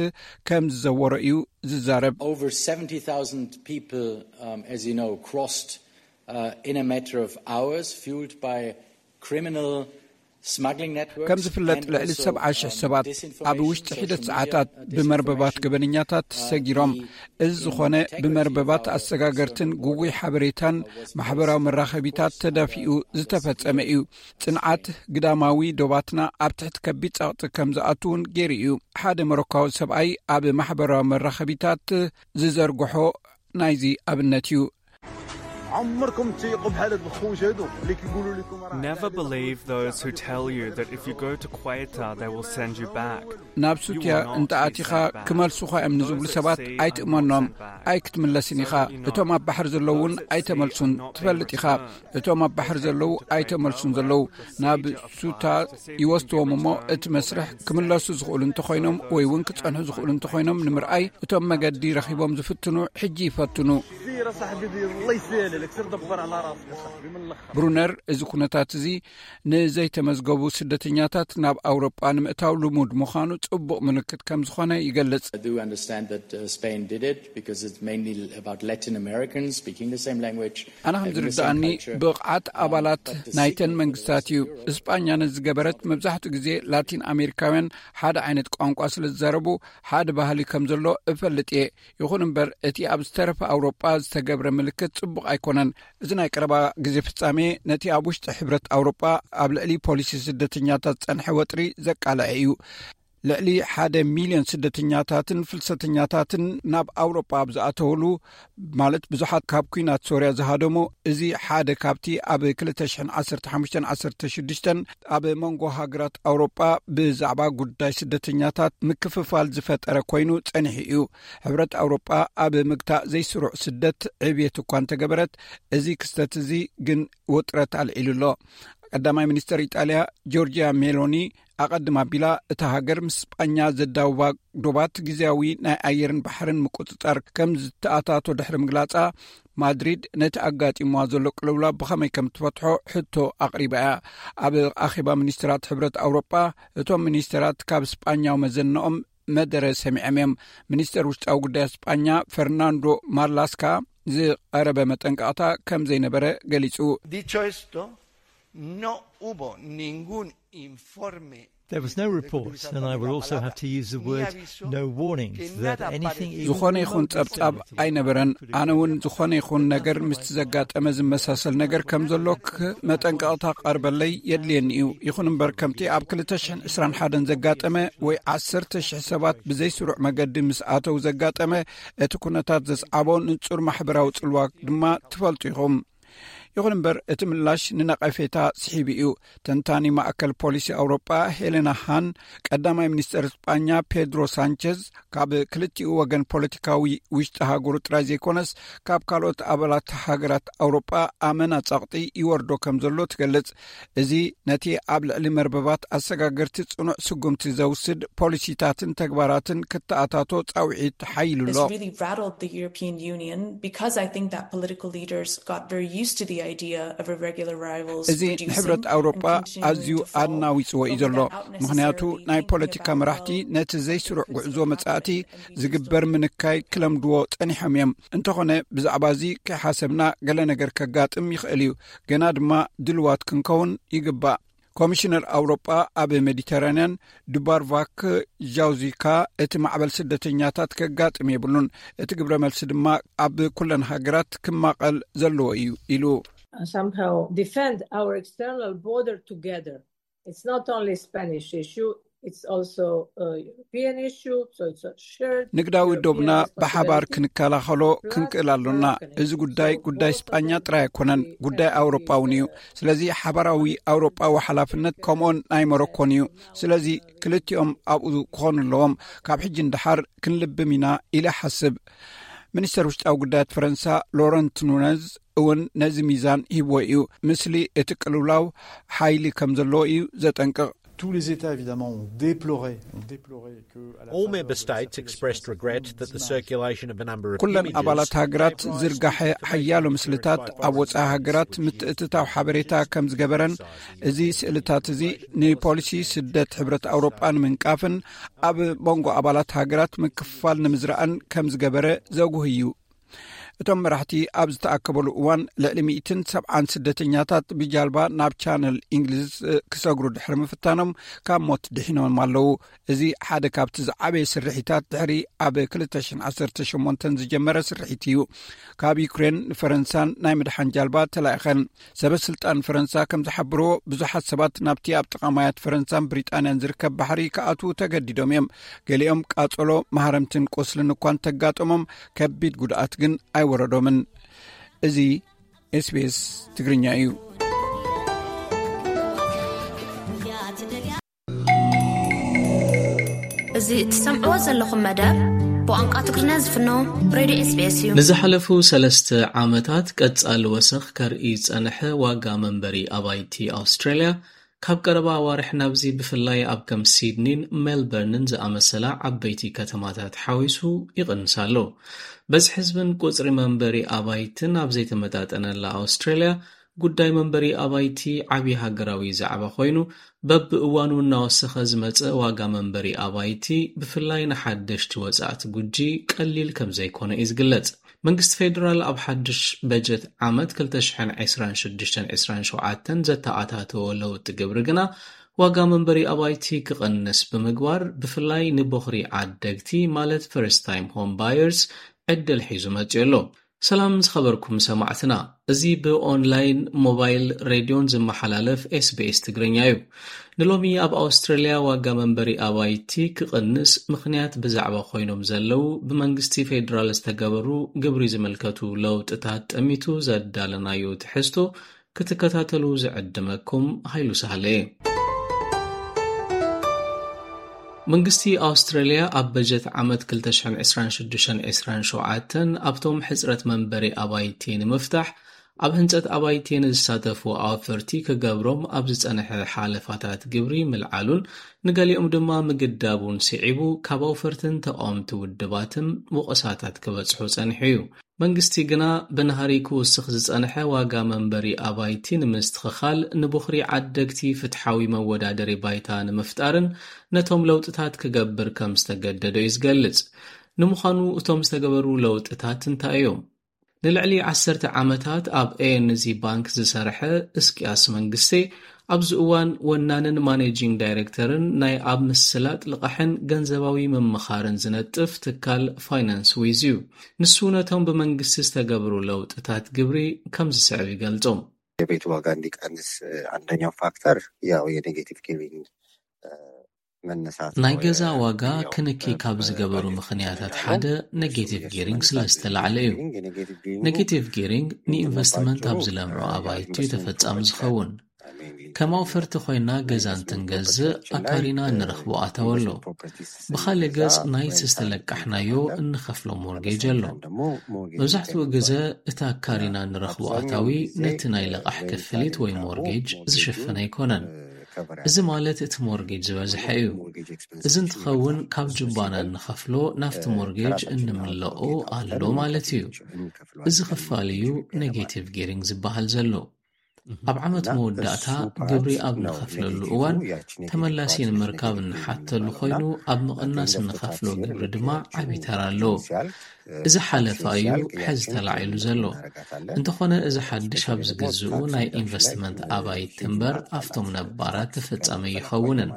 ከም ዝዘወሮ እዩ ዝዛረብ። Over seventy thousand people, um, as you know, crossed uh, in a matter of hours, fueled by criminal smuggling networks. ከም ዝፍለጥ፣ ልዕሊ ሰብዓ ሽሕ ሰባት ኣብ ውሽጢ ሒደት ሰዓታት ብመርበባት ገበነኛታት ሰጊሮም። እዚ ዝኾነ ብመርበባት ኣሰጋገርትን ግጉይ ሓበሬታን ማሕበራዊ መራኸቢታት ተዳፊኡ ዝተፈጸመ እዩ። ጽንዓት ግዳማዊ ዶባትና ኣብ ትሕቲ ከቢድ ጸቕጢ ከም ዝኣቱ እውን ገይሩ እዩ። ሓደ ሞሮካዊ ሰብኣይ ኣብ ማሕበራዊ መራኸቢታት ዝዘርግሖ ናይዚ ኣብነት እዩ። عمركم تيقوا بحال هاد الخوت هادو اللي كيقولوا لكم راه Never believe those who tell you that if you go to Quetta, they will send you back. ናብ ሱትያ እንተ ኣቲኻ ክመልሱኻ እዮም ንዝብሉ ሰባት ኣይትእመኖም። ኣይክትምለስን ኢኻ። እቶም ኣብ ባሕሪ ዘለዉ እውን ኣይተመልሱን። ትፈልጥ ኢኻ፣ እቶም ኣብ ባሕሪ ዘለዉ ኣይተመልሱን ዘለዉ ናብ ሱታ ይወስድዎም እሞ፣ እቲ መስርሕ ክምለሱ ዝኽእሉ እንተኾይኖም ወይ እውን ክጸንሑ ዝኽእሉ እንተኾይኖም ንምርኣይ፣ እቶም መገዲ ረኺቦም ዝፍትኑ ሕጂ ይፈትኑ። سير صاحبي دير الله يسهل عليك، سير دبر على راسك صاحبي من الاخر. ብሩነር፣ እዚ ኩነታት እዚ ንዘይተመዝገቡ ስደተኛታት ናብ ኣውሮጳ ንምእታው ልሙድ ምዃኑ ጽቡቕ ምልክት ከም ዝኾነ ይገልጽ። I do understand that uh, Spain did it because it's mainly about Latin Americans speaking the same language. ኣነ ከም ዝርዳኣኒ፣ ብቕዓት ኣባላት ናይተን መንግስታት እዩ። እስጳኛ ነዚ ዝገበረት፣ መብዛሕትኡ ግዜ ላቲን ኣሜሪካውያን ሓደ ዓይነት ቋንቋ ስለ ዝዛረቡ፣ ሓደ ባህሊ ከም ዘሎ እፈልጥ እየ። ይኹን እምበር፣ እቲ ኣብ ዝተረፈ ኣውሮጳ ዝተገብረ ምልክት ጽቡቕ ኣይኮነን። እዚ ናይ ቀረባ ግዜ ፍጻሜ ነቲ ኣብ ውሽጢ ሕብረት ኣውሮጳ ኣብ ልዕሊ ፖሊሲ ስደተኛታት ዝጸንሐ ወጥሪ ዘቃልዐ እዩ። ልዕሊ ሓደ ሚልዮን ስደተኛታትን ፍልሰተኛታትን ናብ ኣውሮጳ ኣብ ዝኣተውሉ፣ ማለት ብዙሓት ካብ ኲናት ሶርያ ዝሃደሙ፣ እዚ ሓደ ካብቲ ኣብ ክልተ ሽሕን ዓሰርተ ሓሙሽተን ዓሰርተ ሽዱሽተን ኣብ መንጎ ሃገራት ኣውሮጳ ብዛዕባ ጉዳይ ስደተኛታት ምክፍፋል ዝፈጠረ ኮይኑ ጸኒሑ እዩ። ሕብረት ኣውሮጳ ኣብ ምግታእ ዘይስሩዕ ስደት ዕብየት እኳ እንተገበረት፣ እዚ ክስተት እዚ ግን ውጥረት ኣልዒሉ ኣሎ። ቀዳማይ ሚኒስተር ኢጣልያ ጆርጂያ ሜሎኒ ኣቐድም ኣቢላ፣ እታ ሃገር ምስ ስጳኛ ዘዳውባ ዶባት ግዜያዊ ናይ ኣየርን ባሕርን ምቁጽጻር ከም ዝተኣታቶ ድሕሪ ምግላጻ፣ ማድሪድ ነቲ ኣጋጢምዋ ዘሎ ቅልውላው ብኸመይ ከም ትፈትሖ ሕቶ ኣቕሪባ እያ። ኣብ ኣኼባ ሚኒስተራት ሕብረት ኣውሮጳ፣ እቶም ሚኒስተራት ካብ ስጳኛዊ መዘንኦም መደረ ሰሚዖም እዮም። ሚኒስተር ውሽጣዊ ጉዳይ ስጳኛ ፈርናንዶ ማርላስካ ዝቐረበ መጠንቀቕታ ከም ዘይነበረ ገሊጹ። Dicho esto, no hubo ningún informe. There was no report, and I would also have to use the word no warnings that anything, even ዝኾነ ይኹን ጸብጻብ ኣይነበረን። ኣነ እውን ዝኾነ ይኹን ነገር ምስቲ ዘጋጠመ ዝመሳሰል ነገር ከም ዘሎ ክ- መጠንቀቕታ ክቐርበለይ የድልየኒ እዩ። ይኹን እምበር፣ ከምቲ ኣብ ክልተ ሽሕን ዕስራን ሓደን ዘጋጠመ ወይ ዓሰርተ ሽሕ ሰባት ብዘይስሩዕ መገዲ ምስ ኣተው ዘጋጠመ፣ እቲ ኩነታት ዘስዓቦ ንጹር ማሕበራዊ ጽልዋ ድማ ትፈልጡ ኢኹም። ይኹን እምበር፣ እቲ ምላሽ ንነቐፌታ ስሒቡ እዩ። ተንታኒ ማእከል ፖሊሲ ኣውሮጳ ሄሌና ሃን፣ ቀዳማይ ሚኒስተር ስጳኛ ፔድሮ ሳንቸዝ ካብ ክልቲኡ ወገን ፖለቲካዊ ውሽጢ ሃገሩ ጥራይ ዘይኮነስ፣ ካብ ካልኦት ኣባላት ሃገራት ኣውሮጳ ኣመና ጸቕጢ ይወርዶ ከም ዘሎ ትገልጽ። እዚ ነቲ ኣብ ልዕሊ መርበባት ኣሰጋገርቲ ጽኑዕ ስጉምቲ ዘውስድ ፖሊሲታትን ተግባራትን ክተኣታቶ ጻውዒት ሓይሉ ኣሎ። This really rattled the European Union because I think that political leaders got very used to the እዚ ንሕብረት ኣውሮጳ ኣዝዩ ኣናዊጽዎ እዩ ዘሎ። ምኽንያቱ ናይ ፖለቲካ መራሕቲ ነቲ ዘይስሩዕ ጉዕዞ መጻእቲ ዝግበር ምንካይ ክለምድዎ ጸኒሖም እዮም። እንተኾነ ብዛዕባ እዚ ከይሓሰብና ገለ ነገር ከጋጥም ይኽእል እዩ። ገና ድማ ድልዋት ክንከውን ይግባእ። ኮሚሽነር ኣውሮጳ ኣብ ሜዲተራንያን ዱባርቫክ ጃውዚካ፣ እቲ ማዕበል ስደተኛታት ከጋጥም የብሉን፣ እቲ ግብረ መልሲ ድማ ኣብ ኩለን ሃገራት ክማቐል ዘለዎ እዩ ኢሉ። Somehow defend our external border together. It's not only Spanish issue, it's also a European issue, so it's a shared ንግዳዊ ዶብና ብሓባር ክንከላኸሎ ክንክእል ኣሎና። እዚ ጉዳይ ጉዳይ ስጳኛ ጥራይ ኣይኮነን፣ ጉዳይ ኣውሮጳ እውን እዩ። ስለዚ ሓባራዊ ኣውሮጳዊ ሓላፍነት ከምኡን ናይ ሞሮኮን እዩ። ስለዚ ክልቲኦም ኣብኡ ክኾኑ ኣለዎም። ካብ ሕጂ ንደሓር ክንልብም ኢና ኢለ ሓስብ። ሚኒስተር ውሽጣዊ ጉዳያት ፈረንሳ ሎረንት ኑነዝ እውን ነዚ ሚዛን ሂብዎ እዩ። ምስሊ እቲ ቅልውላው ሓይሊ ከም ዘለዎ እዩ ዘጠንቅቕ። Tous les États, évidemment, ont déploré, ont déploré que à la All faveur member de states cette expressed région, regret that the circulation of a number of ኩለን images ኣባላት ሃገራት gave rise to ዝርጋሐ information ሓያሎ sharing ምስልታት by ኣብ ወጻኢ foreigners ሃገራት who accused ምትእትታው ሓበሬታ ከም ዝገበረን፣ እዚ ስእልታት እዚ ንፖሊሲ ስደት ሕብረት ኣውሮጳ ንምንቃፍን ኣብ መንጎ ኣባላት ሃገራት ምክፍፋል ንምዝራእን ከም ዝገበረ ዘጉህ እዩ። እቶም መራሕቲ ኣብ ዝተኣከበሉ እዋን ልዕሊ ሚእትን ሰብዓን ስደተኛታት ብጃልባ ናብ ቻነል እንግሊዝ ክሰግሩ ድሕሪ ምፍታኖም ካብ ሞት ድሒኖም ኣለዉ። እዚ ሓደ ካብቲ ዝዓበየ ስርሒታት ድሕሪ ኣብ ክልተ ሽሕን ዓሰርተ ሸሞንተን ዝጀመረ ስርሒት እዩ። ካብ ዩክሬን ንፈረንሳን ናይ ምድሓን ጃልባ ተላኢኸን። ሰበ ስልጣን ፈረንሳ ከም ዝሓብርዎ ብዙሓት ሰባት ናብቲ ኣብ ጥቓ ማያት ፈረንሳን ብሪጣንያን ዝርከብ ባሕሪ ክኣትዉ ተገዲዶም እዮም። ገሊኦም ቃጸሎ፣ ማህረምትን ቁስልን እኳ እንተጋጠሞም ከቢድ ጉድኣት ግን ኣይወረዶምን። እዚ ኤስቢኤስ ትግርኛ እዩ። እዚ እትሰምዕዎ ዘለኹም መደብ ብቋንቋ ትግርኛ ዝፍኖ ሬድዮ ኤስቢኤስ እዩ። ንዝሓለፉ ሰለስተ ዓመታት ቀጻሊ ወሰኽ ከርኢ ዝጸንሐ ዋጋ መንበሪ ኣባይቲ ኣውስትራልያ፣ ካብ ቀረባ ኣዋርሕ ናብዚ ብፍላይ ኣብ ከም ሲድኒን ሜልበርንን ዝኣመሰላ ዓበይቲ ከተማታት ሓዊሱ ይቕንስ ኣሎ። በዝሒ ህዝብን ቁጽሪ መንበሪ ኣባይትን ኣብ ዘይተመጣጠነላ ኣውስትራልያ፣ ጉዳይ መንበሪ ኣባይቲ ዓቢ ሃገራዊ ዛዕባ ኮይኑ፣ በብእዋኑ እናወሰኸ ዝመጸ ዋጋ መንበሪ ኣባይቲ፣ ብፍላይ ንሓደሽቲ ወጻእቲ ጉጂ ቀሊል ከም ዘይኮነ እዩ ዝግለጽ። መንግስቲ ፌደራል ኣብ ሓድሽ በጀት ዓመት ክልተ ሽሕን ዕስራን ሽዱሽተን ዕስራን ሸውዓተን ዘተኣታተዎ ለውጢ ግብሪ ግና፣ ዋጋ መንበሪ ኣባይቲ ክቕንስ ብምግባር፣ ብፍላይ ንቦኽሪ ዓደግቲ፣ ማለት ፈርስት ታይም ሆም ባየርስ፣ ዕድል ሒዙ መጺኡ ኣሎ። ሰላም ዝኸበርኩም ሰማዕትና፣ እዚ ብኦንላይን፣ ሞባይል፣ ሬድዮን ዝመሓላለፍ ኤስቢኤስ ትግርኛ እዩ። ንሎሚ ኣብ ኣውስትራልያ ዋጋ መንበሪ ኣባይቲ ክቕንስ ምኽንያት ብዛዕባ ኮይኖም ዘለዉ፣ ብመንግስቲ ፌደራል ዝተገበሩ ግብሪ ዝምልከቱ ለውጥታት ጠሚቱ ዘዳለናዮ ትሕዝቶ ክትከታተሉ ዝዕድመኩም ሃይሉ ሳህለ እየ። መንግስቲ ኣውስትራልያ ኣብ በጀት ዓመት ክልተ ሽሕን ዕስራን ሽዱሽተን ዕስራን ሸውዓተን ኣብቶም ሕጽረት መንበሪ ኣባይቲ ንምፍታሕ፣ ኣብ ህንጸት ኣባይቲ ንዝሳተፉ ኣወፈርቲ ክገብሮም ኣብ ዝጸንሐ ሓለፋታት ግብሪ ምልዓሉን ንገሊኦም ድማ ምግዳቡን ስዒቡ፣ ካብ ኣውፈርትን ተቓወምቲ ውድባትን ወቐሳታት ክበጽሑ ጸኒሑ እዩ። መንግስቲ ግና፣ ብናህሪ ክውስኽ ዝጸንሐ ዋጋ መንበሪ ኣባይቲ ንምስትኽኻል፣ ንቦኽሪ ዓደግቲ ፍትሓዊ መወዳደሪ ባይታ ንምፍጣርን ነቶም ለውጥታት ክገብር ከም ዝተገደዶ እዩ ዝገልጽ። ንምዃኑ እቶም ዝተገበሩ ለውጥታት እንታይ እዮም? ንልዕሊ ዓሰርተ ዓመታት ኣብ ኤንዚ ባንክ ዝሰርሐ እስቅያስ መንግስቴ፣ ኣብዚ እዋን ወናንን ማኔጂንግ ዳይሬክተርን ናይ ኣብ ምስላጥ ልቓሕን ገንዘባዊ ምምኻርን ዝነጥፍ ትካል ፋይናንስ ዊዝ እዩ። ንሱ ነቶም ብመንግስቲ ዝተገብሩ ለውጥታት ግብሪ ከም ዝስዕብ ይገልጾም። የቤት ዋጋ እንዲቀንስ አንደኛው ፋክተር ያው የኔጌቲቭ ጊቪንግ መነሳት ናይ ገዛ ዋጋ ክንኪ ካብ ዝገበሩ ምኽንያታት ሓደ ኔጌቲቭ ጊሪንግ ስለ ዝተላዕለ እዩ። ኔጌቲቭ ጊሪንግ ንኢንቨስትመንት ኣብ ዝለምዑ ኣባይቲ እዩ ተፈጻሚ ዝኸውን። ከም ኣውፈርቲ ኮይና ገዛ እንትንገዝእ ኣካሪና እንረኽቦ ኣታዊ ኣሎ። ብኻልእ ገጽ ናይቲ ዝተለቃሕናዮ እንኸፍሎ ሞርጌጅ ኣሎ። መብዛሕትኡ ግዘ እቲ ኣካሪና እንረኽቦ ኣታዊ ነቲ ናይ ለቓሕ ክፍሊት ወይ ሞርጌጅ ዝሽፍን ኣይኮነን። እዚ ማለት እቲ ሞርጌጅ ዝበዝሐ እዩ። እዚ እንትኸውን ካብ ጅባና እንኸፍሎ ናብቲ ሞርጌጅ እንምለኦ ኣሎ ማለት እዩ። እዚ ክፋል እዩ ኔጌቲቭ ጊሪንግ ዝበሃል ዘሎ። ኣብ ዓመት መወዳእታ ግብሪ ኣብ ንኸፍለሉ እዋን ተመላሲ ንምርካብ እንሓተሉ ኮይኑ ኣብ ምቕናስ እንኸፍሎ ግብሪ ድማ ዓቢ ተራ ኣለዎ። እዚ ሓለፋ እዩ ሕዚ ተላዒሉ ዘሎ። እንተኾነ እዚ ሓድሽ ኣብ ዝግዝኡ ናይ ኢንቨስትመንት ኣባይቲ እምበር ኣብቶም ነባራት ተፈጻሚ ኣይኸውንን።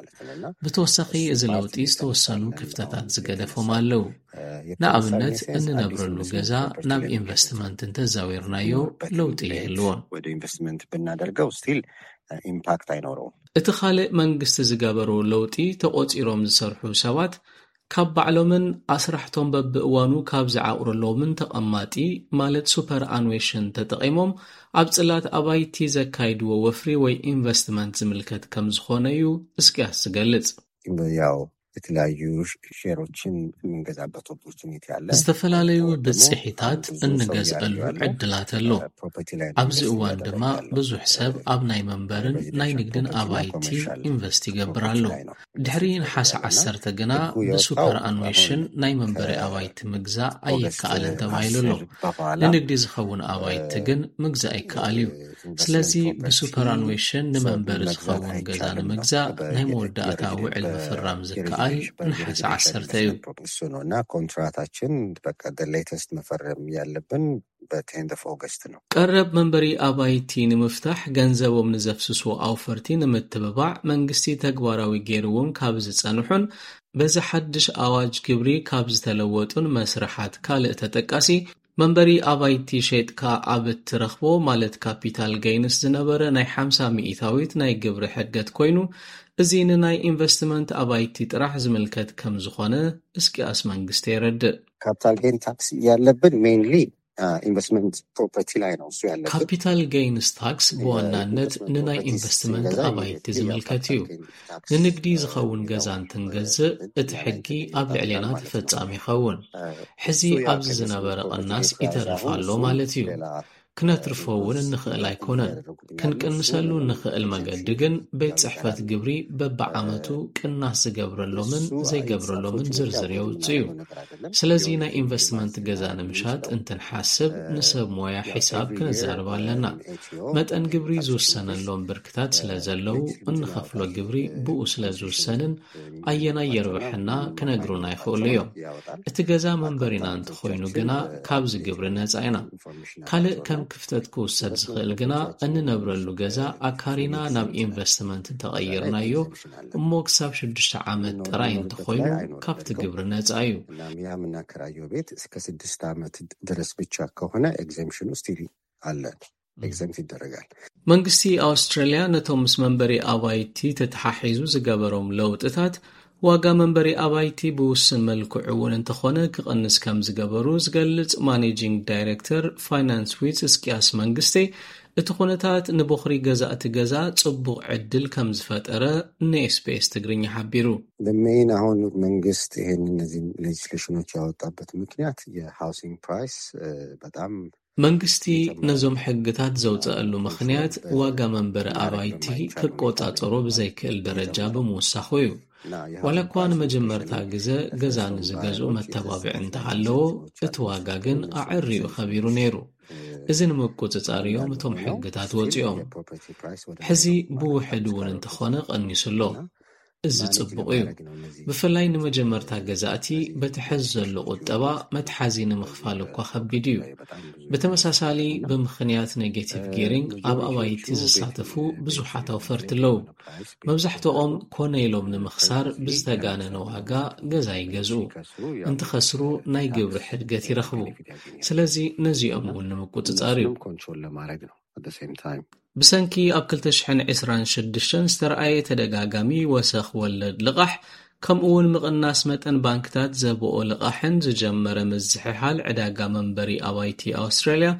ብተወሳኺ እዚ ለውጢ ዝተወሰኑ ክፍተታት ዝገደፎም ኣለዉ። ንኣብነት እንነብረሉ ገዛ ናብ ኢንቨስትመንት እንተዛዊርናዮ ለውጢ የህልዎን። ወደ ኢንቨስትመንት ብናደርገው ስቲል ኢምፓክት ኣይኖረውም። እቲ ካልእ መንግስቲ ዝገበሮ ለውጢ ተቖጺሮም ዝሰርሑ ሰባት ካብ ባዕሎምን ኣስራሕቶም በብእዋኑ ካብ ዝዓቑርሎምን ተቐማጢ ማለት ሱፐር ኣኑዌሽን ተጠቒሞም ኣብ ጽላት ኣባይቲ ዘካይድዎ ወፍሪ ወይ ኢንቨስትመንት ዝምልከት ከም ዝኾነ እዩ እስቅያስ ዝገልጽ። ያው የተለያዩ ሼሮችን የምንገዛበት ኦፖርቹኒቲ አለ። ዝተፈላለዩ ብጽሒታት እንገዝአሉ ዕድላት ኣሎ። ኣብዚ እዋን ድማ ብዙሕ ሰብ ኣብ ናይ መንበርን ናይ ንግድን ኣባይቲ ኢንቨስት ይገብር ኣሎ። ድሕሪ ነሓሰ ዓሰርተ ግና ብሱፐር ኣኑዌሽን ናይ መንበሪ ኣባይቲ ምግዛእ ኣይከኣልን ተባሂሉ ኣሎ። ንንግዲ ዝኸውን ኣባይቲ ግን ምግዛእ ይከኣል እዩ። ስለዚ ብሱፐር ኣኑዌሽን ንመንበሪ ዝኸውን ገዛ ንምግዛእ ናይ መወዳእታ ውዕል ምፍራም ዝከኣል ነሓሰ ዓሰርተ እዩ። እሱ ነው እና ኮንትራታችን በቃ ሌተስት መፈረም ያለብን በቴንድ ኦፍ ኦገስት ነው። ቀረብ መንበሪ ኣባይቲ ንምፍታሕ ገንዘቦም ንዘፍስሱ ኣውፈርቲ ንምትብባዕ መንግስቲ ተግባራዊ ገይርዎም ካብ ዝጸንሑን በዚ ሓድሽ ኣዋጅ ግብሪ ካብ ዝተለወጡን መስርሓት ካልእ ተጠቃሲ መንበሪ ኣባይቲ ሸይጥካ ኣብ እትረኽቦ ማለት ካፒታል ገይንስ ዝነበረ ናይ ሓምሳ ሚእታዊት ናይ ግብሪ ሕድገት ኮይኑ፣ እዚ ንናይ ኢንቨስትመንት ኣባይቲ ጥራሕ ዝምልከት ከም ዝኾነ እስቅያስ መንግስቲ የረድእ። ካፒታል ጌን ታክስ ያለብን ሜይንሊ ኢንቨስትመንት ፕሮፐርቲ ላይ ነው እሱ ያለብን። ካፒታል ጌይንስ ታክስ ብዋናነት ንናይ ኢንቨስትመንት ኣባይቲ ዝምልከት እዩ። ንንግዲ ዝኸውን ገዛ እንትንገዝእ እቲ ሕጊ ኣብ ልዕሌና ተፈጻሚ ይኸውን። ሕዚ ኣብዚ ዝነበረ ቅናስ ይተርፍ ኣሎ ማለት እዩ። ክነትርፎ እውን እንኽእል ኣይኮነን። ክንቅንሰሉ እንኽእል መገዲ ግን ቤት ጽሕፈት ግብሪ በብዓመቱ ቅናስ ዝገብረሎምን ዘይገብረሎምን ዝርዝር የውጽእ እዩ። ስለዚ ናይ ኢንቨስትመንት ገዛ ንምሻጥ እንትንሓስብ ንሰብ ሞያ ሒሳብ ክነዛርብ ኣለና። መጠን ግብሪ ዝውሰነሎም ብርክታት ስለ ዘለዉ እንኸፍሎ ግብሪ ብኡ ስለ ዝውሰንን ኣየናይ የርብሐና ክነግሩና ይኽእሉ እዮም። እቲ ገዛ መንበሪና እንተኾይኑ ግና ካብዚ ግብሪ ነጻ ኢና። ካልእ ከም ክፍተት ክውሰድ ዝኽእል ግና እንነብረሉ ገዛ ኣካሪና ናብ ኢንቨስትመንት እንተቐይርናዮ እሞ ክሳብ ሽዱሽተ ዓመት ጥራይ እንተኾይኑ ካብቲ ግብሪ ነጻ እዩ። እና ያ የምናከራየው ቤት እስከ ስድስት ዓመት ድረስ ብቻ ከሆነ ኤግዘምፕሽኑ ስቲል አለ፣ ኤግዘምፕት ይደረጋል። መንግስቲ ኣውስትራልያ ነቶም ምስ መንበሪ ኣባይቲ ተተሓሒዙ ዝገበሮም ለውጥታት ዋጋ መንበሪ ኣባይቲ ብውስን መልክዑ እውን እንተኾነ ክቕንስ ከም ዝገበሩ ዝገልጽ ማኔጂንግ ዳይሬክተር ፋይናንስ ዊዝ እስቅያስ መንግስቲ፣ እቲ ኩነታት ንቦኽሪ ገዛእቲ ገዛ ጽቡቕ ዕድል ከም ዝፈጠረ ንኤስቢኤስ ትግርኛ ሓቢሩ። ሜይን አሁን መንግስት ይሄን እነዚህ ሌጅስሌሽኖች ያወጣበት ምክንያት የሃውሲንግ ፕራይስ በጣም መንግስቲ ነዞም ሕግታት ዘውፀአሉ ምኽንያት ዋጋ መንበሪ ኣባይቲ ክቆፃፀሮ ብዘይክእል ደረጃ ብምውሳኹ እዩ። ዋላ እኳ ንመጀመርታ ግዘ ገዛ ንዝገዝኡ መተባብዒ እንተሃለዎ፣ እቲ ዋጋ ግን ኣዐሪኡ ከቢሩ ነይሩ። እዚ ንምቁፅፃር እዮም እቶም ሕግታት ወፂኦም። ሕዚ ብውሕድ እውን እንተኾነ ቀኒሱ ኣሎ። እዚ ጽቡቕ እዩ። ብፍላይ ንመጀመርታ ገዛእቲ በቲ ሕዚ ዘሎ ቁጠባ መትሓዚ ንምኽፋል እኳ ከቢድ እዩ። ብተመሳሳሊ ብምኽንያት ኔጌቲቭ ጊሪንግ ኣብ ኣባይቲ ዝሳተፉ ብዙሓት ኣውፈርቲ ኣለዉ። መብዛሕትኦም ኮነ ኢሎም ንምኽሳር ብዝተጋነነ ዋጋ ገዛ ይገዝኡ። እንትኸስሩ ናይ ግብሪ ሕድገት ይረኽቡ። ስለዚ ነዚኦም እውን ንምቁጽጻር እዩ። ኮንትሮል ለማድረግ ነው። ብሰንኪ ኣብ ክልተ ሽሕን ዕስራን ሽዱሽተን ዝተረኣየ ተደጋጋሚ ወሰኽ ወለድ ልቓሕ ከምኡ እውን ምቕናስ መጠን ባንክታት ዘብኦ ልቓሕን ዝጀመረ ምዝሕሓል ዕዳጋ መንበሪ ኣባይቲ ኣውስትራልያ፣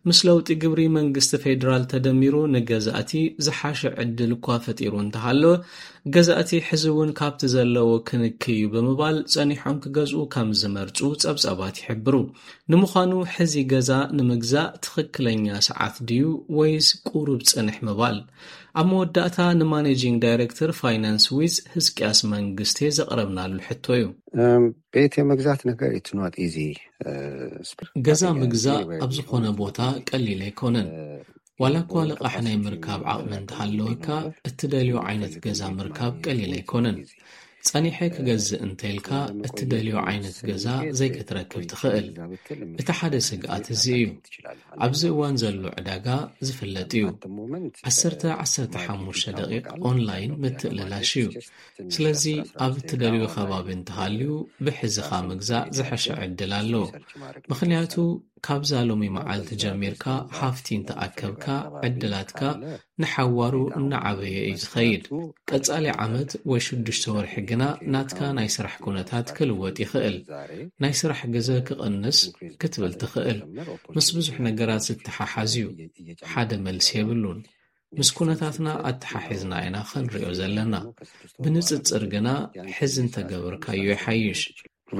ምስ ለውጢ ግብሪ መንግስቲ ፌዴራል ተደሚሩ ንገዛእቲ ዝሓሸ ዕድል እኳ ፈጢሩ እንተሃለወ፣ ገዛእቲ ሕዚ እውን ካብቲ ዘለዎ ክንክዩ ብምባል ጸኒሖም ክገዝኡ ከም ዝመርጹ ጸብጻባት ይሕብሩ። ንምዃኑ ሕዚ ገዛ ንምግዛእ ትኽክለኛ ሰዓት ድዩ ወይስ ቁሩብ ጽንሕ ምባል? ኣብ መወዳእታ ንማኔጂንግ ዳይሬክተር ፋይናንስ ዊዝ ህዝቅያስ መንግስቴ ዘቕረብናሉ ሕቶ እዩ። ቤት የመግዛት ነገር it's not easy። ገዛ ምግዛእ ኣብ ዝኾነ ቦታ ቀሊል ኣይኮነን። ዋላ እኳ ልቓሕ ናይ ምርካብ ዓቕሚ እንተሃለወካ፣ እትደልዮ ዓይነት ገዛ ምርካብ ቀሊል ኣይኮነን። ጸኒሐ ክገዝእ እንተኢልካ፣ እትደልዮ ዓይነት ገዛ ዘይክትረክብ ትኽእል። እቲ ሓደ ስግኣት እዚ እዩ። ኣብዚ እዋን ዘሎ ዕዳጋ ዝፍለጥ እዩ። ዓሰርተ ዓሰርተ ሓሙሽተ ደቂቕ ኦንላይን ምትእልላሽ እዩ። ስለዚ ኣብ እትደልዮ ከባቢ እንተሃልዩ፣ ብሕዝኻ ምግዛእ ዝሐሸ ዕድል ኣሎ። ምኽንያቱ ካብዛ ሎሚ መዓልቲ ጀሚርካ ሃፍቲ እንተኣከብካ፣ ዕድላትካ ንሓዋሩ እናዓበየ እዩ ዝኸይድ። ቀጻሊ ዓመት ወይ ሽዱሽተ ወርሒ ግና ናትካ ናይ ስራሕ ኩነታት ክልወጥ ይኽእል። ናይ ስራሕ ግዘ ክቕንስ ክትብል ትኽእል። ምስ ብዙሕ ነገራት ዝተሓሓዝ እዩ። ሓደ መልሲ የብሉን። ምስ ኩነታትና ኣተሓሒዝና ኢና ክንሪኦ ዘለና። ብንጽጽር ግና ሕዚ እንተገበርካዮ ይሓይሽ።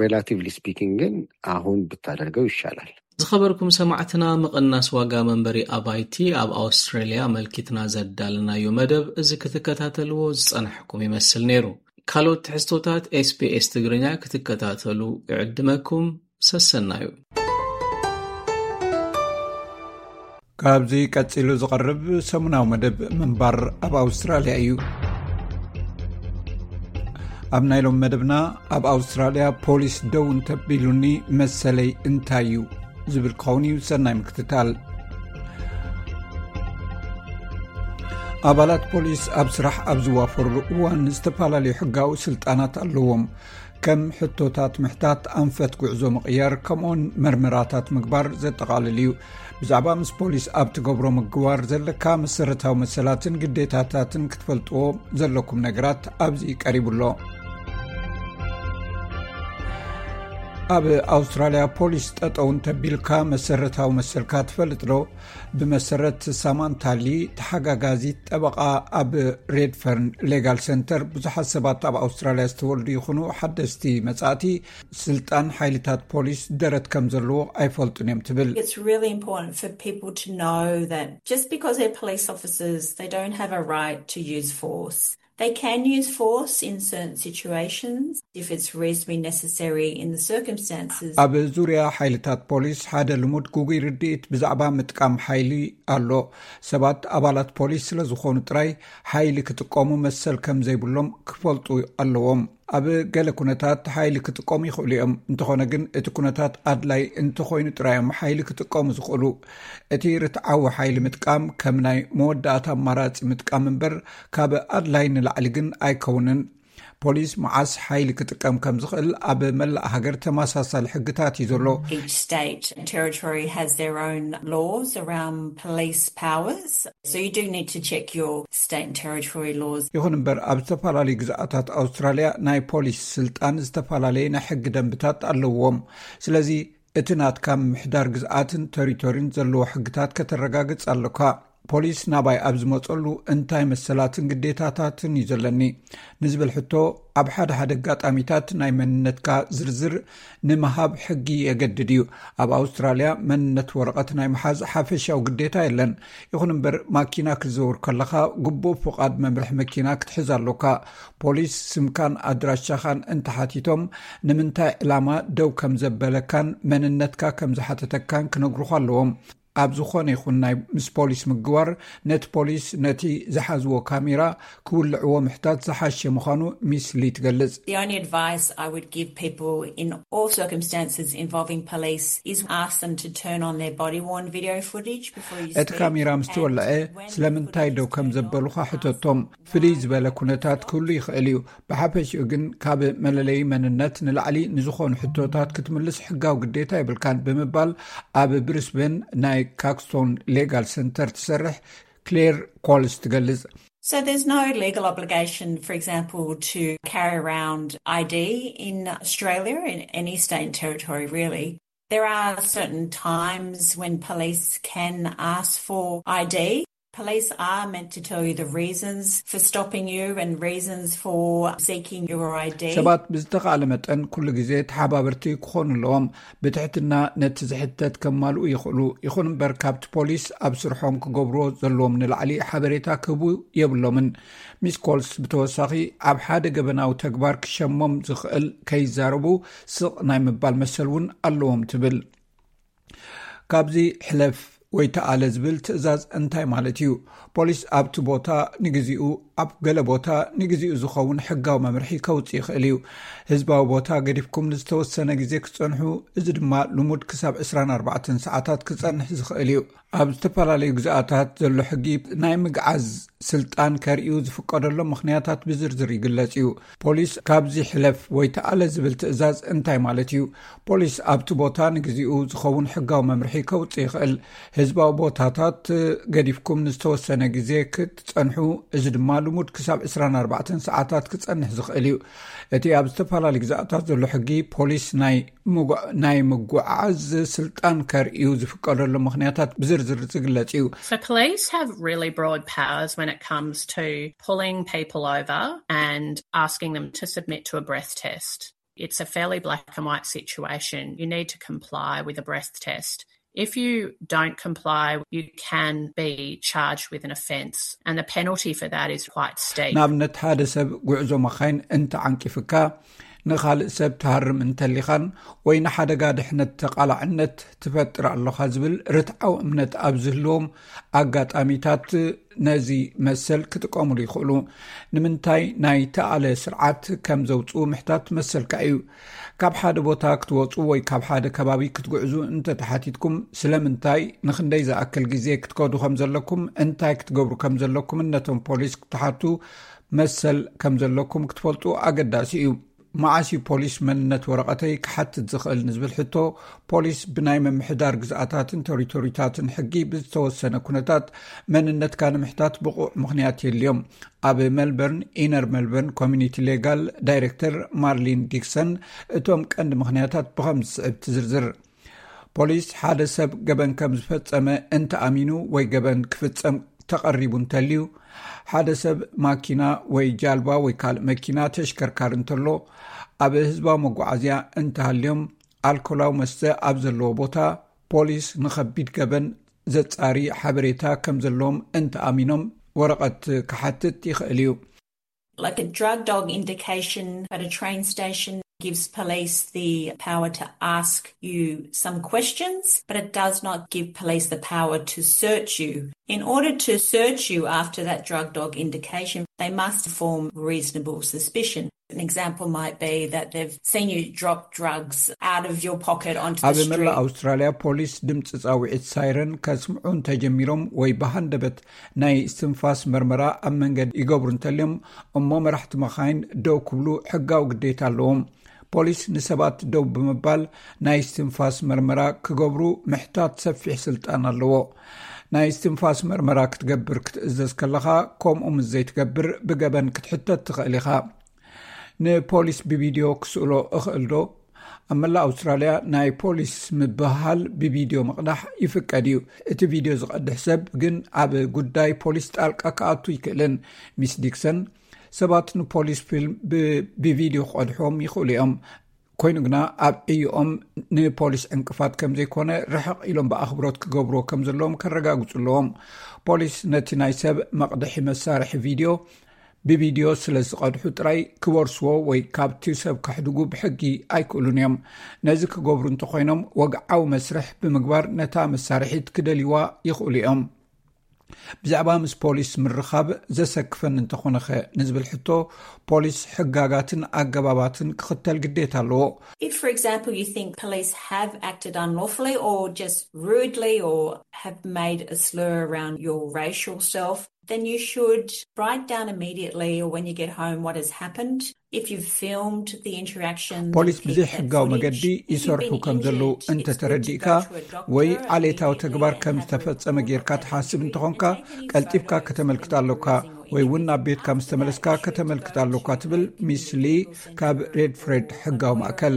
Relatively speaking ግን አሁን ብታደርገው ይሻላል። ዝኸበርኩም ሰማዕትና፣ ምቕናስ ዋጋ መንበሪ ኣባይቲ ኣብ ኣውስትራልያ ኣመልኪትና ዘዳለናዮ መደብ እዚ ክትከታተልዎ ዝጸናሕኩም ይመስል ነይሩ። ካልኦት ትሕዝቶታት ኤስቢኤስ ትግርኛ ክትከታተሉ ይዕድመኩም። ሰሰናዩ። ካብዚ ቀጺሉ ዝቐርብ ሰሙናዊ መደብ ምንባር ኣብ ኣውስትራልያ እዩ። ኣብ ናይ ሎም መደብና፣ ኣብ ኣውስትራልያ ፖሊስ ደው እንተቢሉኒ መሰለይ እንታይ እዩ ዝብል ክኸውን እዩ። ሰናይ ምክትታል። ኣባላት ፖሊስ ኣብ ስራሕ ኣብ ዝዋፈሩሉ እዋን ዝተፈላለዩ ሕጋዊ ስልጣናት ኣለዎም። ከም ሕቶታት ምሕታት፣ ኣንፈት ጉዕዞ ምቕያር፣ ከምኡውን መርመራታት ምግባር ዘጠቓልል እዩ። ብዛዕባ ምስ ፖሊስ ኣብ ትገብሮ ምግባር ዘለካ መሰረታዊ መሰላትን ግዴታታትን ክትፈልጥዎ ዘለኩም ነገራት ኣብዚ ቀሪቡ ኣሎ። ኣብ ኣውስትራልያ ፖሊስ ጠጠው እንተቢልካ መሰረታዊ መሰልካ ትፈልጥ ዶ? ብመሰረት ሳማንታ ሊ፣ ተሓጋጋዚት ጠበቓ ኣብ ሬድፈርን ሌጋል ሰንተር፣ ብዙሓት ሰባት ኣብ ኣውስትራልያ ዝተወልዱ ይኹኑ ሓደስቲ መጻእቲ፣ ስልጣን ሓይልታት ፖሊስ ደረት ከም ዘለዎ ኣይፈልጡን እዮም ትብል። It's really important for people to know that just because they're police officers, they don't have a right to use force. They can use force in certain situations if it's reasonably necessary in the circumstances. ኣብ ዙርያ ሓይልታት ፖሊስ ሓደ ልሙድ ግጉይ ርድኢት ብዛዕባ ምጥቃም ሓይሊ ኣሎ። ሰባት ኣባላት ፖሊስ ስለ ዝኾኑ ጥራይ ሓይሊ ክጥቀሙ መሰል ከም ዘይብሎም ክፈልጡ ኣለዎም። ኣብ ገለ ኩነታት ሓይሊ ክጥቀሙ ይኽእሉ እዮም። እንተኾነ ግን እቲ ኩነታት ኣድላይ እንተኾይኑ ጥራይ እዮም ሓይሊ ክጥቀሙ ዝኽእሉ። እቲ ርትዓዊ ሓይሊ ምጥቃም ከም ናይ መወዳእታ ኣማራጺ ምጥቃም እምበር ካብ ኣድላይ ንላዕሊ ግን ኣይከውንን። ፖሊስ መዓስ ሓይሊ ክጥቀም ከም ዝኽእል ኣብ መላእ ሃገር ተመሳሳሊ ሕግታት እዩ ዘሎ። Each state and territory has their own laws around police powers, so you do need to check your state and territory laws. ይኹን እምበር ኣብ ዝተፈላለዩ ግዝኣታት ኣውስትራልያ ናይ ፖሊስ ስልጣን ዝተፈላለየ ናይ ሕጊ ደንብታት ኣለዎም። ስለዚ እቲ ናትካ ምምሕዳር ግዝኣትን ተሪቶሪን ዘለዎ ሕግታት ከተረጋግጽ ኣለካ። ፖሊስ ናባይ ኣብ ዝመጸሉ እንታይ መሰላትን ግዴታታትን እዩ ዘለኒ ንዝብል ሕቶ፣ ኣብ ሓደ ሓደ ኣጋጣሚታት ናይ መንነትካ ዝርዝር ንምሃብ ሕጊ የገድድ እዩ። ኣብ ኣውስትራልያ መንነት ወረቐት ናይ ምሓዝ ሓፈሻዊ ግዴታ የለን። ይኹን እምበር ማኪና ክትዘውር ከለኻ ግቡእ ፍቓድ መምርሒ መኪና ክትሕዝ ኣሎካ። ፖሊስ ስምካን ኣድራሻኻን እንተሓቲቶም ንምንታይ ዕላማ ደው ከም ዘበለካን መንነትካ ከም ዝሓተተካን ክነግሩኻ ኣለዎም። ኣብ ዝኾነ ይኹን ናይ ምስ ፖሊስ ምግዋር፣ ነቲ ፖሊስ ነቲ ዝሓዝዎ ካሜራ ክውልዕዎ ምሕታት ዝሓሸ ምዃኑ ሚስ ሊ ትገልጽ። The only advice I would give people in all circumstances involving police is ask them to turn on their body-worn video footage before you speak. እቲ ካሜራ ምስ ተወልዐ ስለምንታይ ደው ከም ዘበሉኻ ሕተቶም። ፍልይ ዝበለ ኩነታት ክህሉ ይኽእል እዩ። ብሓፈሽኡ ግን ካብ መለለዪ መንነት ንላዕሊ ንዝኾኑ ሕቶታት ክትምልስ ሕጋዊ ግዴታ የብልካን ብምባል ኣብ ብሪስበን ናይ ካክስቶን ሌጋል ሰንተር ትሰርሕ ክሌር ኮልስ ትገልጽ። So there's no legal obligation, for example, to carry around I D in Australia, in any state and territory, really. There are certain times when police can ask for I D. Police are meant to tell you the reasons for stopping you and reasons for seeking your I D. ሰባት ብዝተኻእለ መጠን ኩሉ ግዜ ተሓባበርቲ ክኾኑ ኣለዎም። ብትሕትና ነቲ ዝሕተት ከማልኡ ይኽእሉ። ይኹን እምበር ካብቲ ፖሊስ ኣብ ስርሖም ክገብርዎ ዘለዎም ንላዕሊ ሓበሬታ ክህቡ የብሎምን። ሚስ ኮልስ ብተወሳኺ ኣብ ሓደ ገበናዊ ተግባር ክሸሞም ዝኽእል ከይዛረቡ ስቕ ናይ ምባል መሰል እውን ኣለዎም ትብል። ካብዚ ሕለፍ ወይ ተኣለ ዝብል ትእዛዝ እንታይ ማለት እዩ? ፖሊስ ኣብቲ ቦታ ንግዚኡ፣ ኣብ ገለ ቦታ ንግዚኡ ዝኸውን ሕጋዊ መምርሒ ከውጽእ ይኽእል እዩ። ህዝባዊ ቦታ ገዲፍኩም ንዝተወሰነ ግዜ ክትጸንሑ፣ እዚ ድማ ልሙድ ክሳብ ዕስራን ኣርባዕተን ሰዓታት ክጸንሕ ዝኽእል እዩ። ኣብ ዝተፈላለዩ ግዝኣታት ዘሎ ሕጊ ናይ ምግዓዝ ስልጣን ከርእዩ ዝፍቀደሎም ምኽንያታት ብዝርዝር ይግለጽ እዩ። ፖሊስ ካብዚ ሕለፍ ወይ ተኣለ ዝብል ትእዛዝ እንታይ ማለት እዩ? ፖሊስ ኣብቲ ቦታ ንግዚኡ ዝኸውን ሕጋዊ መምርሒ ከውጽእ ይኽእል። ህዝባዊ ቦታታት ገዲፍኩም ንዝተወሰነ ግዜ ክትጸንሑ፣ እዚ ድማ ልሙድ ክሳብ ዕስራን ኣርባዕተን ሰዓታት ክጸንሕ ዝኽእል እዩ። እቲ ኣብ ዝተፈላለዩ ግዝኣታት ዘሎ ሕጊ ፖሊስ ናይ ምጉ-፣ ናይ ምጉዓዝ ስልጣን ከርእዩ ዝፍቀደሉ ምኽንያታት ብዝርዝር ዝግለጽ እዩ። So police have really broad powers when it comes to pulling people over and asking them to submit to a breath test. It's a fairly black and white situation. You need to comply with a breath test. If you don't comply, you can be charged with an offence, and the penalty for that is quite steep. ንኣብነት ሓደ ሰብ ጉዕዞ መኻይን እንተዓንቂፍካ፣ ንኻልእ ሰብ ትሃርም እንተሊኻን ወይ ንሓደጋ ድሕነት ተቓላዕነት ትፈጥር ኣለኻ ዝብል ርትዓዊ እምነት ኣብ ዝህልዎም ኣጋጣሚታት ነዚ መሰል ክጥቀሙሉ ይኽእሉ። ንምንታይ ናይ ተኣለ ስርዓት ከም ዘውፅኡ ምሕታት መሰልካ እዩ። ካብ ሓደ ቦታ ክትወፁ ወይ ካብ ሓደ ከባቢ ክትጉዕዙ እንተተሓቲትኩም፣ ስለምንታይ፣ ንኽንደይ ዝኣክል ግዜ ክትከዱ ከም ዘለኩም፣ እንታይ ክትገብሩ ከም ዘለኩምን ነቶም ፖሊስ ክትሓቱ መሰል ከም ዘለኩም ክትፈልጡ ኣገዳሲ እዩ። መዓስ እዩ ፖሊስ መንነት ወረቐተይ ክሓትት ዝኽእል ንዝብል ሕቶ፣ ፖሊስ ብናይ ምምሕዳር ግዝኣታትን ቴሪቶሪታትን ሕጊ ብዝተወሰነ ኩነታት መንነትካ ንምሕታት ብቑዕ ምኽንያት የድልዮም። ኣብ ሜልበርን ኢነር ሜልበርን ኮሚኒቲ ሌጋል ዳይሬክተር ማርሊን ዲክሰን እቶም ቀንዲ ምኽንያታት ብኸም ዝስዕብ ትዝርዝር። ፖሊስ ሓደ ሰብ ገበን ከም ዝፈጸመ እንተኣሚኑ ወይ ገበን ክፍጸም ተቐሪቡ እንተልዩ፣ ሓደ ሰብ ማኪና ወይ ጃልባ ወይ ካልእ መኪና ተሽከርካሪ እንተሎ፣ ኣብ ህዝባዊ መጓዓዝያ እንተሃልዮም፣ ኣልኮላዊ መስተ ኣብ ዘለዎ ቦታ፣ ፖሊስ ንኸቢድ ገበን ዘጻሪ ሓበሬታ ከም ዘለዎም እንተኣሚኖም ወረቐት ክሓትት ይኽእል እዩ። Like a drug dog indication at a train station gives police the power to ask you some questions, but it does not give police the power to search you. In order to search you after that drug dog indication, they must form reasonable suspicion. An example might be that they've seen you drop drugs out of your pocket onto the ኣብ መላእ street. ኣውስትራልያ ፖሊስ ድምፂ ፃውዒት ሳይረን ከስምዑ እንተጀሚሮም ወይ ብሃንደበት ናይ እስትንፋስ መርመራ ኣብ መንገዲ ይገብሩ እንተልዮም፣ እሞ መራሕቲ መኻይን ደው ክብሉ ሕጋዊ ግዴታ ኣለዎም። ፖሊስ ንሰባት ደው ብምባል ናይ እስትንፋስ መርመራ ክገብሩ ምሕታት ሰፊሕ ስልጣን ኣለዎ። ናይ እስትንፋስ መርመራ ክትገብር ክትእዘዝ ከለኻ፣ ከምኡ ምስ ዘይትገብር ብገበን ክትሕተት ትኽእል ኢኻ። ንፖሊስ ብቪድዮ ክስእሎ እኽእል ዶ? ኣብ መላእ ኣውስትራልያ ናይ ፖሊስ ምብህሃል ብቪድዮ ምቕዳሕ ይፍቀድ እዩ። እቲ ቪድዮ ዝቐድሕ ሰብ ግን ኣብ ጉዳይ ፖሊስ ጣልቃ ክኣቱ ይክእልን። ሚስ ዲክሰን፣ ሰባት ንፖሊስ ፊልም ብ-፣ ብቪድዮ ክቐድሕዎም ይኽእሉ እዮም። ኮይኑ ግና ኣብ ዕዮኦም ንፖሊስ ዕንቅፋት ከም ዘይኮነ ርሕቕ ኢሎም ብኣኽብሮት ክገብርዎ ከም ዘለዎም ከረጋግጹ ኣለዎም። ፖሊስ ነቲ ናይ ሰብ መቕድሒ መሳርሒ ቪድዮ ብቪድዮ ስለ ዝቐድሑ ጥራይ ክወርስዎ ወይ ካብቲ ሰብ ከሕድጉ ብሕጊ ኣይክእሉን እዮም። ነዚ ክገብሩ እንተኾይኖም ወግዓዊ መስርሕ ብምግባር ነታ መሳርሒት ክደልይዋ ይኽእሉ እዮም። ብዛዕባ ምስ ፖሊስ ምርኻብ ዘሰክፈኒ እንተኾነኸ ንዝብል ሕቶ፣ ፖሊስ ሕጋጋትን ኣገባባትን ክኽተል ግዴታ ኣለዎ። If, for example, you think police have acted unlawfully or just rudely or have made a slur around your racial self, then you should write down immediately or when you get home what has happened. If you've filmed the interaction, ፖሊስ ብዘይ ሕጋዊ መገዲ ይሰርሑ ከም ዘለዉ እንተተረዲእካ ወይ ዓሌታዊ ተግባር ከም ዝተፈጸመ ጌርካ ትሓስብ እንተኾንካ፣ ቀልጢፍካ ከተመልክት ኣለካ። ወይ እውን ናብ ቤትካ ምስ ተመለስካ ከተመልክት ኣለኳ፣ ትብል ሚስ ሊ ካብ ሬድፍሬድ ሕጋዊ ማእከል።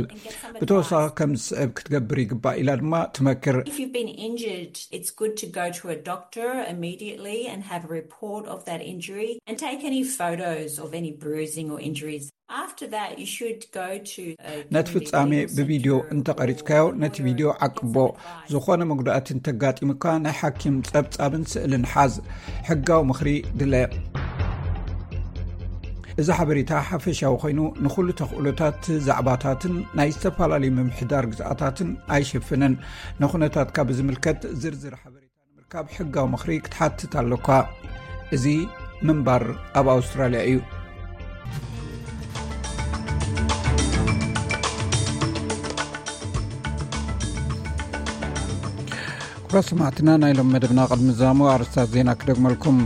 ብተወሳኺ ከም ዝስዕብ ክትገብር ይግባእ ኢላ ድማ ትመክር። If you've been injured, it's good to go to a doctor immediately and have a report of that injury and take any photos of any bruising or injuries. After that, you should go to a ነቲ ፍጻሜ ብቪድዮ እንተቐሪጽካዮ፣ ነቲ ቪድዮ ዓቅቦ። ዝኾነ መጉዳእቲ እንተጋጢሙካ፣ ናይ ሓኪም ጸብጻብን ስእልን ሓዝ። ሕጋዊ ምኽሪ ድለ። እዚ ሓበሬታ ሓፈሻዊ ኮይኑ፣ ንኹሉ ተኽእሎታት ዛዕባታትን ናይ ዝተፈላለዩ ምምሕዳር ግዝኣታትን ኣይሽፍንን። ንኹነታትካ ብዝምልከት ዝርዝር ሓበሬታ ንምርካብ ሕጋዊ ምኽሪ ክትሓትት ኣለኳ። እዚ ምንባር ኣብ ኣውስትራልያ እዩ። ክቡራት ሰማዕትና፣ ናይ ሎም መደብና ቅድሚ ዛሙ ኣርስታት ዜና ክደግመልኩም።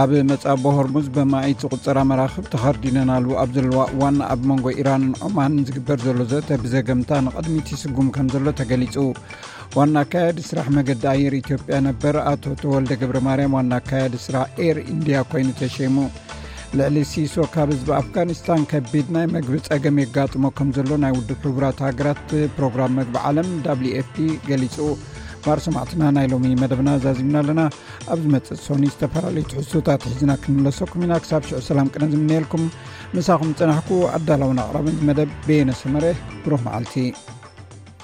ኣብ መጻቦ ሆርሙዝ በማኢት ዝቁጸራ መራኽብ ተኸርዲነናሉ ኣብ ዘለዋ እዋን፣ ኣብ መንጎ ኢራንን ዖማንን ዝግበር ዘሎ ዘተ ብዘገምታ ንቕድሚት ይስጉም ከም ዘሎ ተገሊጹ። ዋና ኣካያዲ ስራሕ መገዲ ኣየር ኢትዮጵያ ነበር ኣቶ ተወልደ ገብረ ማርያም ዋና ኣካያዲ ስራሕ ኤር ኢንድያ ኮይኑ ተሸይሙ። ልዕሊ ሲሶ ካብ ህዝቢ ኣፍጋኒስታን ከቢድ ናይ መግቢ ጸገም የጋጥሞ ከም ዘሎ ናይ ውድብ ሕቡራት ሃገራት ፕሮግራም መግቢ ዓለም፣ ደብሊው ኤፍ ፒ፣ ገሊጹ። ክቡራት ሰማዕትና፣ ናይ ሎሚ መደብና ዛዚምና ኣለና። ኣብ ዝመጽእ ሰኒ ዝተፈላለዩ ትሕዝቶታት ሒዝና ክንምለሰኩም ኢና። ክሳብ ሽዑ ሰላም ቅነ ዝምነየልኩም። ምሳኹም ዝጸናሕኩ ኣዳላውን ኣቕራብን መደብ በየነ ሰመረ። ብሩኽ መዓልቲ።